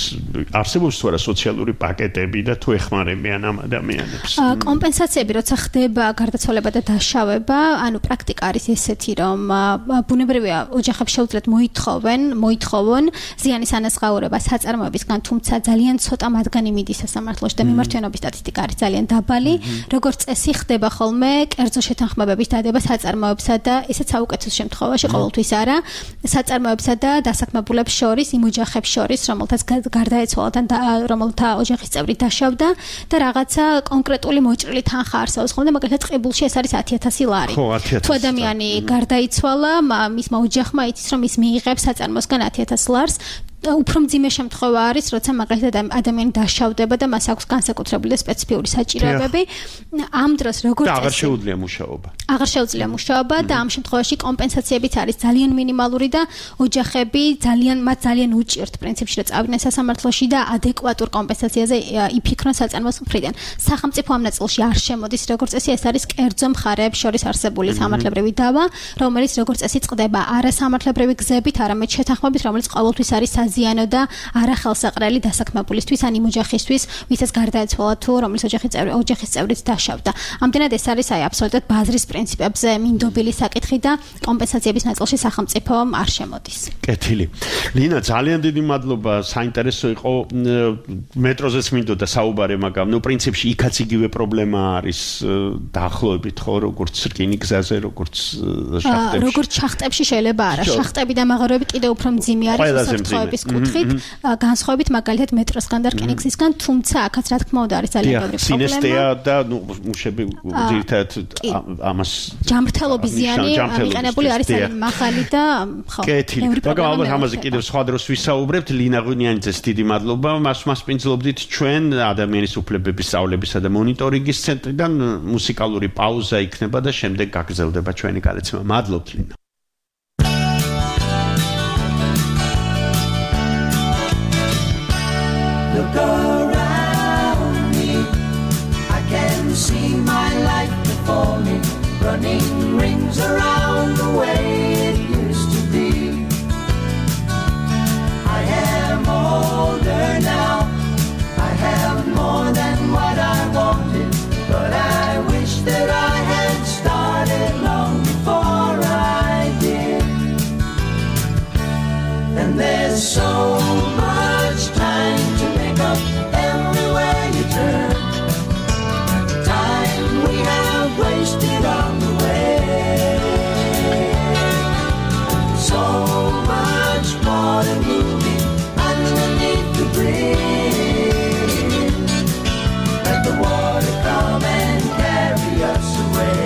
არსებობს თუ არა სოციალური პაკეტები და თუ ეხმარებიან ამ ადამიანებს? კომპენსაციები, როცა ხდება გარდაცვალება და დაშავება, ანუ პრაქტიკა არის ესეთი, რომ ბუნებრივია ოჯახებს შეუძლიათ მოითხოვენ, მოითხოვონ ზიანის ანაზღაურება საწარმოებისგან, თუმცა ძალიან ცოტა მათგანი მიდის სასამართლოში და მიმართვენობის სტატისტიკა არის ძალიან დაბალი. როგორც წესი ხდება ხოლმე კერძო შეთანხმებების დადება საწარმოებსა და ესეც საუკეთესო შემთხვევაში ყოველთვის არა, საწარმოებსა და დასაქმებულებს შორის, იმ ოჯახებს შორის, რომელთაც გარდაეცვალა და რომელთა ოჯახის წევრი დაშავდა და რაღაცა კონკრეტული მოჭრილი თანხა არსებობს ხოლმე, მაგალითად წყებულში ეს არის ათი ათასი ლარი. თუ ადამიანი გარდაიცვალა, მისმა ოჯახმა იცის, რომ ის მიიღებს საწარმოსგან ათი ათას ლარს, უფრო მძიმე შემთხვევა არის, როცა მაგალითად ადამიანი დაშავდება და მას აქვს განსაკუთრებული და სპეციფიური საჭიროებები. ამ დროს როგორც და აღარ შეუძლია მუშაობა. აღარ შეუძლია მუშაობა და ამ შემთხვევაში კომპენსაციებიც არის ძალიან მინიმალური და ოჯახები ძალიან მათ ძალიან უჭირთ პრინციპში რომ წავიდნენ სასამართლოში და ადეკვატურ კომპენსაციაზე იფიქრონ საწარმოს მხრიდან. სახელმწიფო ამ ნაწილში არ შემოდის როგორც წესი, ეს არის კერძო მხარეებს შორის არსებული სამართლებრივი დავა, რომელიც როგორც წესი წყდება არასამართლებრივი გზებით, არამედ შეთანხმებით, რომელიც ყოველთვის არის საზიანო და არახელსაყრელი დასაქმებულისთვის ან იმ ოჯახისთვის, ვისაც გარდაეცვალა თუ რომლის ოჯახის წევრი ოჯახის წევრიც დაშავდა. ამდენად ეს არის აი აბსოლუტურად ბაზრის პრინციპებზე მინდობილი საკითხი და კომპენსაციების ნაწილში სახელმწიფო არ შემოდის. კეთილი. ლინა, ძალიან დიდი მადლობა, საინტერესო იყო. მეტროზეც მინდოდა საუბარი, მაგრამ ნუ პრინციპში იქაც იგივე პრობლემა არის დაახლოებით ხო, როგორც რკინიგზაზე, როგორც შახტებში. როგორც შახტებში შეიძლება არა, შახტები და მაღაროები კიდევ უფრო მძიმე არის უსაფრთხოების კუთხით, განსხვავებით მაგალითად მეტროსგან და რკინიგზისგან, თუმცა აქაც რა თქმა უნდა არის ძალიან ბევრი პრობლემა. სინესტეა და ნუ მუშები ძირითადად ამას ჯამრთელობის ზიანი მიყენებული არის ძალიან მაღალი და ხო. კეთილი. მაგრამ ალბათ ამაზე კიდევ სხვა დროს ვისაუბრებთ. ლინა ღვინიანიძეს დიდი მადლობა. მას მასპინძლობდით ჩვენ ადამიანის უფლებების სწავლებისა და მონიტორინგის ცენტრიდან. მუსიკალური პაუზა იქნება და შემდეგ გაგრძელდება ჩვენი გადაცემა. მადლობთ ლინა. Look around me, I can see my life before me, running rings around the way it used to be. I am older now, I have more than what I wanted, but I wish that I had started long before I did. And there's so much time to make up everywhere you turn, time we have wasted on the way, so much more than moving underneath the bridge. Let the water come and carry us away.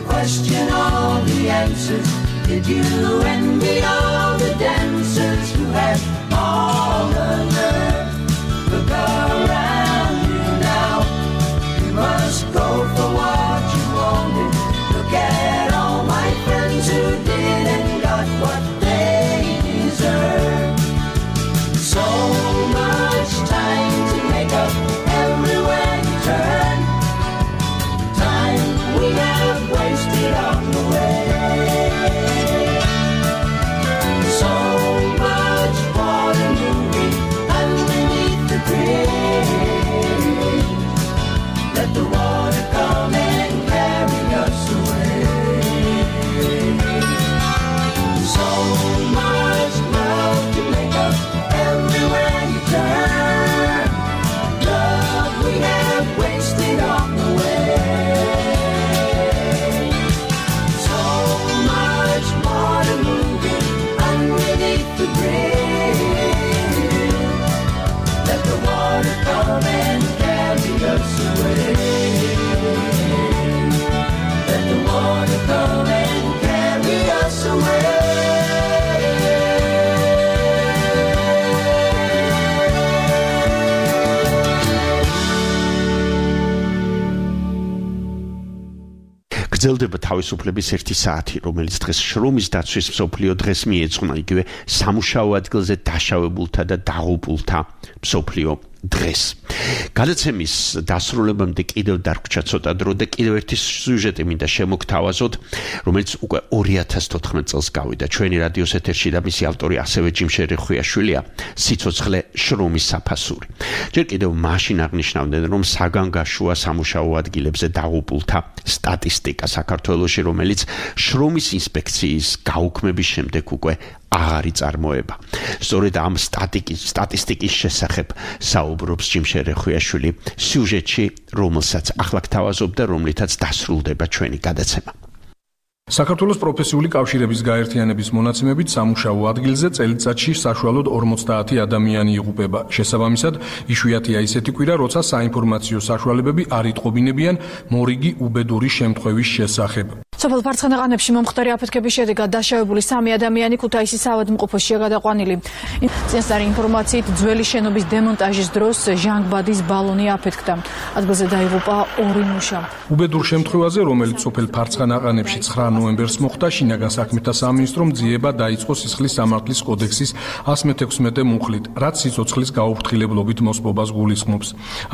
Question all the answers. Did you envy all the dancers who had all the nerve? Look around you now. You must go for what you wanted. Look at all my friends who did and got what they deserve. So much time to make up everywhere you turn. Time we have wasted on the way. So much more than moving underneath the bridge. Let the water come and carry us away. So much love to make up everywhere you turn. Love we have wasted on the way. The bridge. Let the water come and carry us away. Let the water come and carry us away. გრძელდება თავისუფლების ერთი საათი, რომელიც დღეს შრომის დაცვის მსოფლიო დღეს მიეძღვნა იგივე სამუშაო ადგილზე დაშავებულთა და დაღუპულთა მსოფლიო დღეს. გადაცემის დასრულებამდე კიდევ დარგვჩა ცოტა დრო და კიდევ ერთი სიუჟეტი მინდა შემოგთავაზოთ, რომელიც უკვე ორი ათას თოთხმეტ წელს გავიდა ჩვენი რადიოს ეთერში და მისი ავტორი ასევე ჯიმშერი ხვიაშვილია, სიცოცხლე შრომის საფასური. ჯერ კიდევ მაშინ აღნიშნავდნენ, რომ საგანგაშოა სამუშაო ადგილებზე დაღუპულთა სტატისტიკა საქართველოში, რომელიც შრომის ინსპექციის გაუქმების შემდეგ უკვე აღარ იწარმოება. სწორედ ამ სტატისტიკის შესახებ საუბრობს ჯიმშერი ხვიაშვილი სიუჟეტში, რომელსაც ახლა გთავაზობ და რომლითაც დასრულდება ჩვენი გადაცემა. საქართველოს პროფესიული კავშირების გაერთიანების მონაცემებით სამუშაო ადგილზე წელიწადში საშუალოდ ორმოცდაათი ადამიანი იღუპება. შესაბამისად, იშვიათია ისეთი კვირა, როცა საინფორმაციო საშუალებები არ იტყობინებიან მორიგი უბედური შემთხვევის შესახებ. სოფელ ფარცხანაყანებში მომხდარი აფეთქების შედეგად დაშავებული სამი ადამიანი ქუთაისის საავადმყოფოშია გადაყვანილი. წინასწარი ინფორმაციით, ძველი შენობის დემონტაჟის დროს ჟანგბადის ბალონი აფეთქდა. ადგილზე დაიღუპა ორი მუშა. უბედურ შემთხვევაზე, რომელიც სოფელ ფარცხანაყანებში ცხრა ნოემბერს მოხდა, შინაგან საქმეთა სამინისტრომ ძიება დაიწყო სისხლის სამართლის კოდექსის ასი მეექვსმეტე მუხლით, რაც სიცოცხლის გაუფრთხილებლობით მოსპობას გულისხმობს.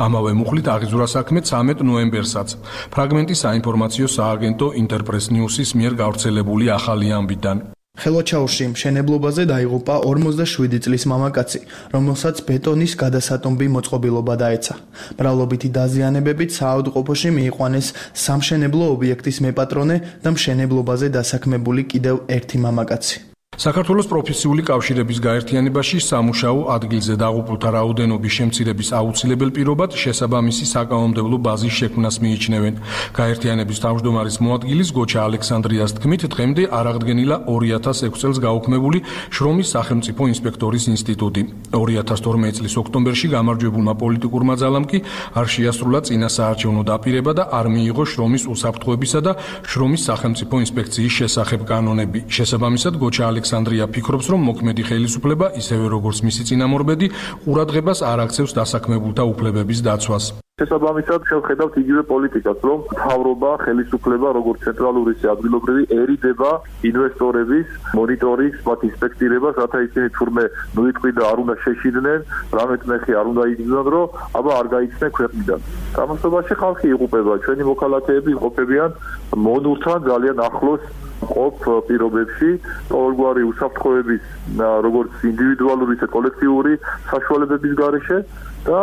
ამავე მუხლით აღიზურა საქმე ცამეტ ნოემბერსაც. ფრაგმენტი საინფორმაციო სააგენტო ინტერპრეს ნიუსის მიერ გავრცელებული ახალი ამბიდან. ხელვაჩაურში მშენებლობაზე დაიღუპა ორმოცდაშვიდი წლის მამაკაცი, რომელსაც ბეტონის გადასატომბი მოწყობილობა დაეცა. მრავლობითი დაზიანებებით საავადმყოფოში მიიყვანეს სამშენებლო ობიექტის მეპატრონე და მშენებლობაზე დასაქმებული კიდევ ერთი მამაკაცი. საქართველოს პროფესიული კავშირების გაერთიანებაში სამუშაო ადგილზე დაღუპულთა რაოდენობის შემცირების აუცილებელ პირობად შესაბამისი საკანონმდებლო ბაზის შექმნას მიიჩნევენ. გაერთიანების თავმჯდომარის მოადგილის გოჩა ალექსანდრიას თქმით, დღემდე არ აღდგენილა ორი ათას ექვსი წელს გაუქმებული შრომის სახელმწიფო ინსპექტორის ინსტიტუტი. ორი ათას თორმეტი წლის ოქტომბერში გამარჯვებულმა პოლიტიკურმა ძალამ კი არ შეასრულა წინასაარჩევნო დაპირება და არ მიიღო შრომის უსაფრთხოებისა და შრომის სახელმწიფო ინსპექციის შესახებ კანონები. შესაბამისად, გოჩა ალექსანდრია ფიქრობს, რომ მოქმედი ხელისუფლება, ისევე როგორც მისი წინამორბედი, ყურადღებას არ აქცევს დასაქმებულთა უფლებების დაცვას. შესაბამისად, შევხედავთ იგივე პოლიტიკას, რომ მთავრობა, ხელისუფლება, როგორც ცენტრალური ისე ადგილობრივი, ერიდება ინვესტორების მონიტორინგს, მათ ინსპექტირებას, რათა ისინი თურმე ნუიტყვი და არ უნდა შეშიდნენ, რამე წნეხი არ უნდა იგრძნონ, რომ აბა არ გაიქცნენ ქვეყნიდან. სამოსობაში ხალხი იღუპება, ჩვენი მოქალაქეები იმყოფებიან მონურთან ძალიან ახლოს ყოფ პირობებში, ყოველგვარი უსაფრთხოების, როგორც ინდივიდუალური, ისე კოლექტიური საშუალებების გარეშე და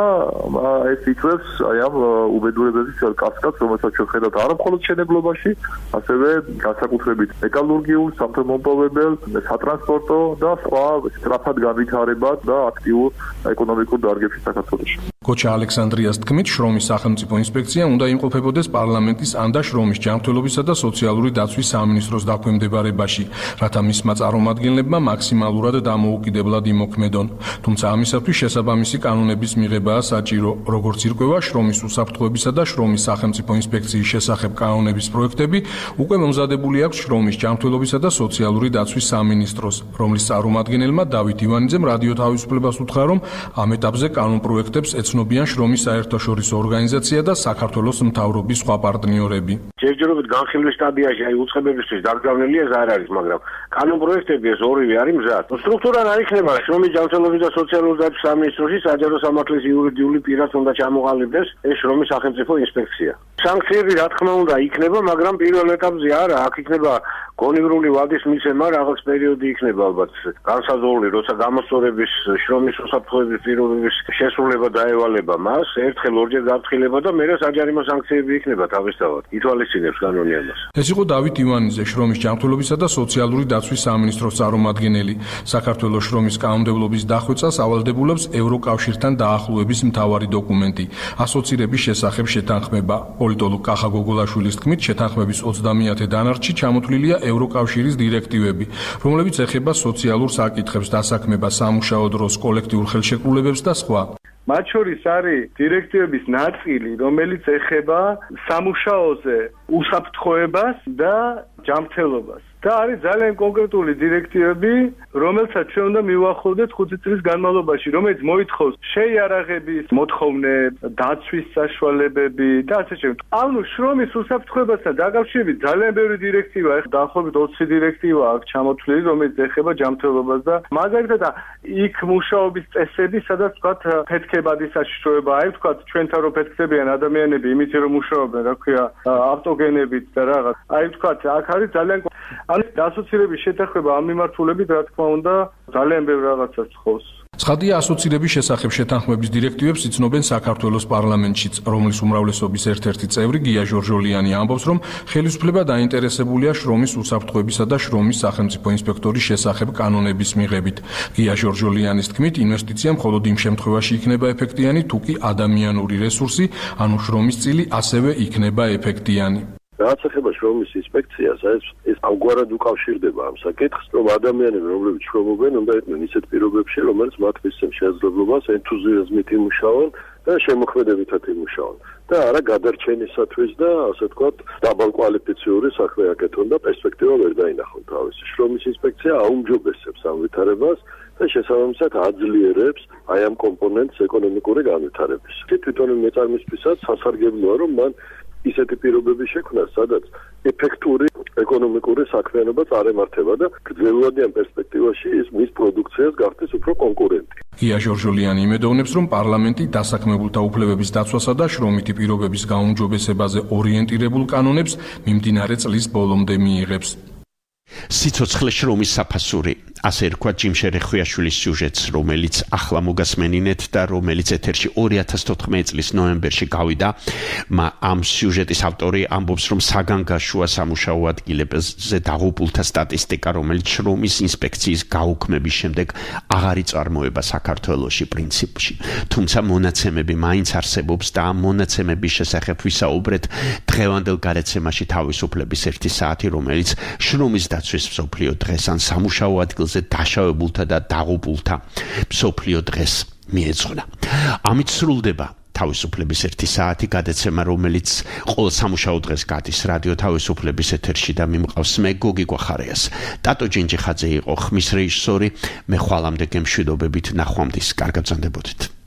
ეს იწვევს აი ამ უბედურებების კასკადს, რომელსაც ჩვენ ხედავთ არა მხოლოდ მშენებლობაში, ასევე განსაკუთრებით მეტალურგიულ, სამთო-მომპოვებელ, სატრანსპორტო და სხვა სწრაფად განვითარებად და აქტიურ ეკონომიკურ დარგებში საქართველოში. გოჩა ალექსანდრიას თქმით, შრომის სახელმწიფო ინსპექცია უნდა იმყოფებოდეს პარლამენტის ან და შრომის ჯანმრთელობისა და სოციალური დაცვის სამინისტროს დაქვემდებარებაში, რათა მისმა წარმომადგენლებმა მაქსიმალურად დამოუკიდებლად იმოქმედონ. თუმცა ამისათვის შესაბამისი კანონების მიღებაა საჭირო, როგორც ირკვევა შრომის უსაფრთხოებისა და შრომის სახელმწიფო ინსპექციის შესახებ კანონების პროექტები, უკვე მომზადებული აქვს შრომის ჯანმრთელობისა და სოციალური დაცვის სამინისტროს, რომლის წარმომადგენელმა დავით ივანიძემ რადიო თავისუფლებას უთხრა, რომ ამ ეტაპზე კანონ პროექტებს ეცნობიან შრომის საერთაშორისო ორგანიზაცია და საქართველოს მთავრობის სხვა პარტნიორები. ჯერჯერობით განხილვის სტადიაში აი უწყებებისთვის დაგზავნილი ეს არ არის, მაგრამ კანონ პროექტები ეს ორივე არის მზად. სტრუქტურა რა იქნება? შრომის ჯანმრთელობის და სოციალური დაცვის სამინისტროში საჯარო სამართლის იურიდიული პირად უნდა ჩამოყალიბდეს ეს შრომის სახელმწიფო ინსპექცია. სანქციები რა თქმა უნდა იქნება, მაგრამ პირველ ეტაპზე არა, აქ იქნება გონივრული ვადის მიცემა, რაღაც პერიოდი იქნება ალბათ განსაზღვრული, როცა გამოსწორების შრომის უსაფრთხოების პირობების შესრულება დაევალება მას, ერთხელ ორჯერ გაფრთხილება და მერე საჯარიმო სანქციები იქნება თავისთავად. ითვალისწინებს კანონი ამას. ეს იყო დავით ივანიძე, შრომის ჯანმრთელობისა და სოციალური დაცვის სამინისტროს წარმომადგენელი. საქართველოს შრომის კანონმდებლობის დახვეწას ავალდებულებს ევროკავშირთან დაახლოების მთავარი დოკუმენტი, ასოცირების შესახებ შეთანხმება. პოლიტოლოგ კახა გოგოლაშვილის თქმით, შეთანხმების ოცდამეათე დანარჩი ჩამოთვლილია ევროკავშირის დირექტივები, რომლებიც ეხება სოციალურ საკითხებს, დასაქმებას, სამუშაო დროს, კოლექტიურ ხელშეკრულებებს და სხვა. მათ შორის არის დირექტივების ნაწილი, რომელიც ეხება სამუშაოზე უსაფრთხოებას და ჯანმრთელობას. და არის ძალიან კონკრეტული დირექტივები, რომელსაც ჩვენ უნდა მივახლოვდეთ ხუთი წლის განმავლობაში, რომელიც მოითხოვს შეიარაღების მოთხოვნე, დაცვის საშუალებები და ასე შემდეგ. ანუ შრომის უსაფრთხოებასთან დაკავშირებით ძალიან ბევრი დირექტივა, ახლა დაახლოებით ოცი დირექტივა აქვს ჩამოთვლილი, რომელიც ეხება ჯანმრთელობას და მაგალითად იქ მუშაობის წესები, სადაც ვთქვათ ფეთქებადის საშიშროება, აი ვთქვათ ჩვენთან რო ფეთქდებიან ადამიანები, იმით რომ მუშაობენ, რა ქვია, ავტოგენებით და რაღაც. აი ვთქვათ, აქ არის ძალიან ანუ ასოცირების შეთანხმება ამ მიმართულებით, რა თქმა უნდა, ძალიან ბევრ რაღაცას თხოვს. ცხადია, ასოცირების შესახებ შეთანხმების დირექტივებს იცნობენ საქართველოს პარლამენტშიც, რომლის უმრავლესობის ერთ-ერთი წევრი გია ჟორჟოლიანი ამბობს, რომ ხელისუფლება დაინტერესებულია შრომის უსაფრთხოებისა და შრომის სახელმწიფო ინსპექტორის შესახებ კანონების მიღებით. გია ჟორჟოლიანის თქმით, ინვესტიცია მხოლოდ იმ შემთხვევაში იქნება ეფექტიანი, თუ კი ადამიანური რესურსი, ანუ შრომის წილი ასევე იქნება ეფექტიანი. რაც ეხება შრომის ინსპექციას, ეს ეს ამგვარად უკავშირდება ამ საკითხს, რომ ადამიანები, რომლებიც შრომობენ, უნდა იყვნენ ისეთ პირობებში, რომელიც მათ მისცემ შესაძლებლობას ენთუზიაზმით იმუშაონ და შემოქმედებითად იმუშაონ. და არა გადარჩენისათვის და ასე ვთქვათ, დაბალკვალიფიციური საქმე აკეთონ და პერსპექტივა ვერ დაინახონ თავისი. შრომის ინსპექცია აუმჯობესებს ამ ვითარებას და შესაბამისად აძლიერებს აი ამ კომპონენტს ეკონომიკური განვითარების. თვითონ მეწარმისთვისაც სასარგებლოა, რომ მან ისეთი პირობები შექმნა, სადაც ეფექტური ეკონომიკური საქმიანობა წარემართება და გრძელვადიან პერსპექტივაში ის მის პროდუქციას გახდეს უფრო კონკურენტი. გია ჟორჟოლიანი იმედოვნებს, რომ პარლამენტი დასაქმებულთა უფლებების დაცვასა და შრომითი პირობების გაუმჯობესებაზე ორიენტირებულ კანონებს მიმდინარე წლის ბოლომდე მიიღებს. სიცოცხლე შრომის საფასური, ასე რქვა ჯიმ შერეხვიაშვილის სიუჟეტს, რომელიც ახლა მოგასმენინეთ და რომელიც ეთერში ორი ათას თოთხმეტი წლის ნოემბერში გავიდა. ამ სიუჟეტის ავტორი ამბობს, რომ საგანგაშოა სამუშაო ადგილებზე დაღუპულთა სტატისტიკა, რომელიც შრომის ინსპექციის გაუქმების შემდეგ აღარ იწარმოება საქართველოში პრინციპში. თუმცა მონაცემები მაინც არსებობს და ამ მონაცემების შესახებ ვისაუბრეთ დღევანდელ გარეთ-სემაში თავისუფლების ერთი საათი, რომელიც შრომის დაცვის მსოფლიო დღეს ან სამუშაო ადგილზე დაშავებულთა და დაღუპულთა მსოფლიო დღეს მიეძღვნა. ამით სრულდება თავისუფლების ერთი საათი გადაცემა, რომელიც ყოველ სამუშაო დღეს გადის რადიო თავისუფლების ეთერში და მიმყავს მე გოგი გვახარიას. ტატო ჯინჯიხაძე იყო ხმის რეჟისორი, მე ხვალამდე გემშვიდობებით ნახვამდის, კარგად ბრძანდებოდეთ.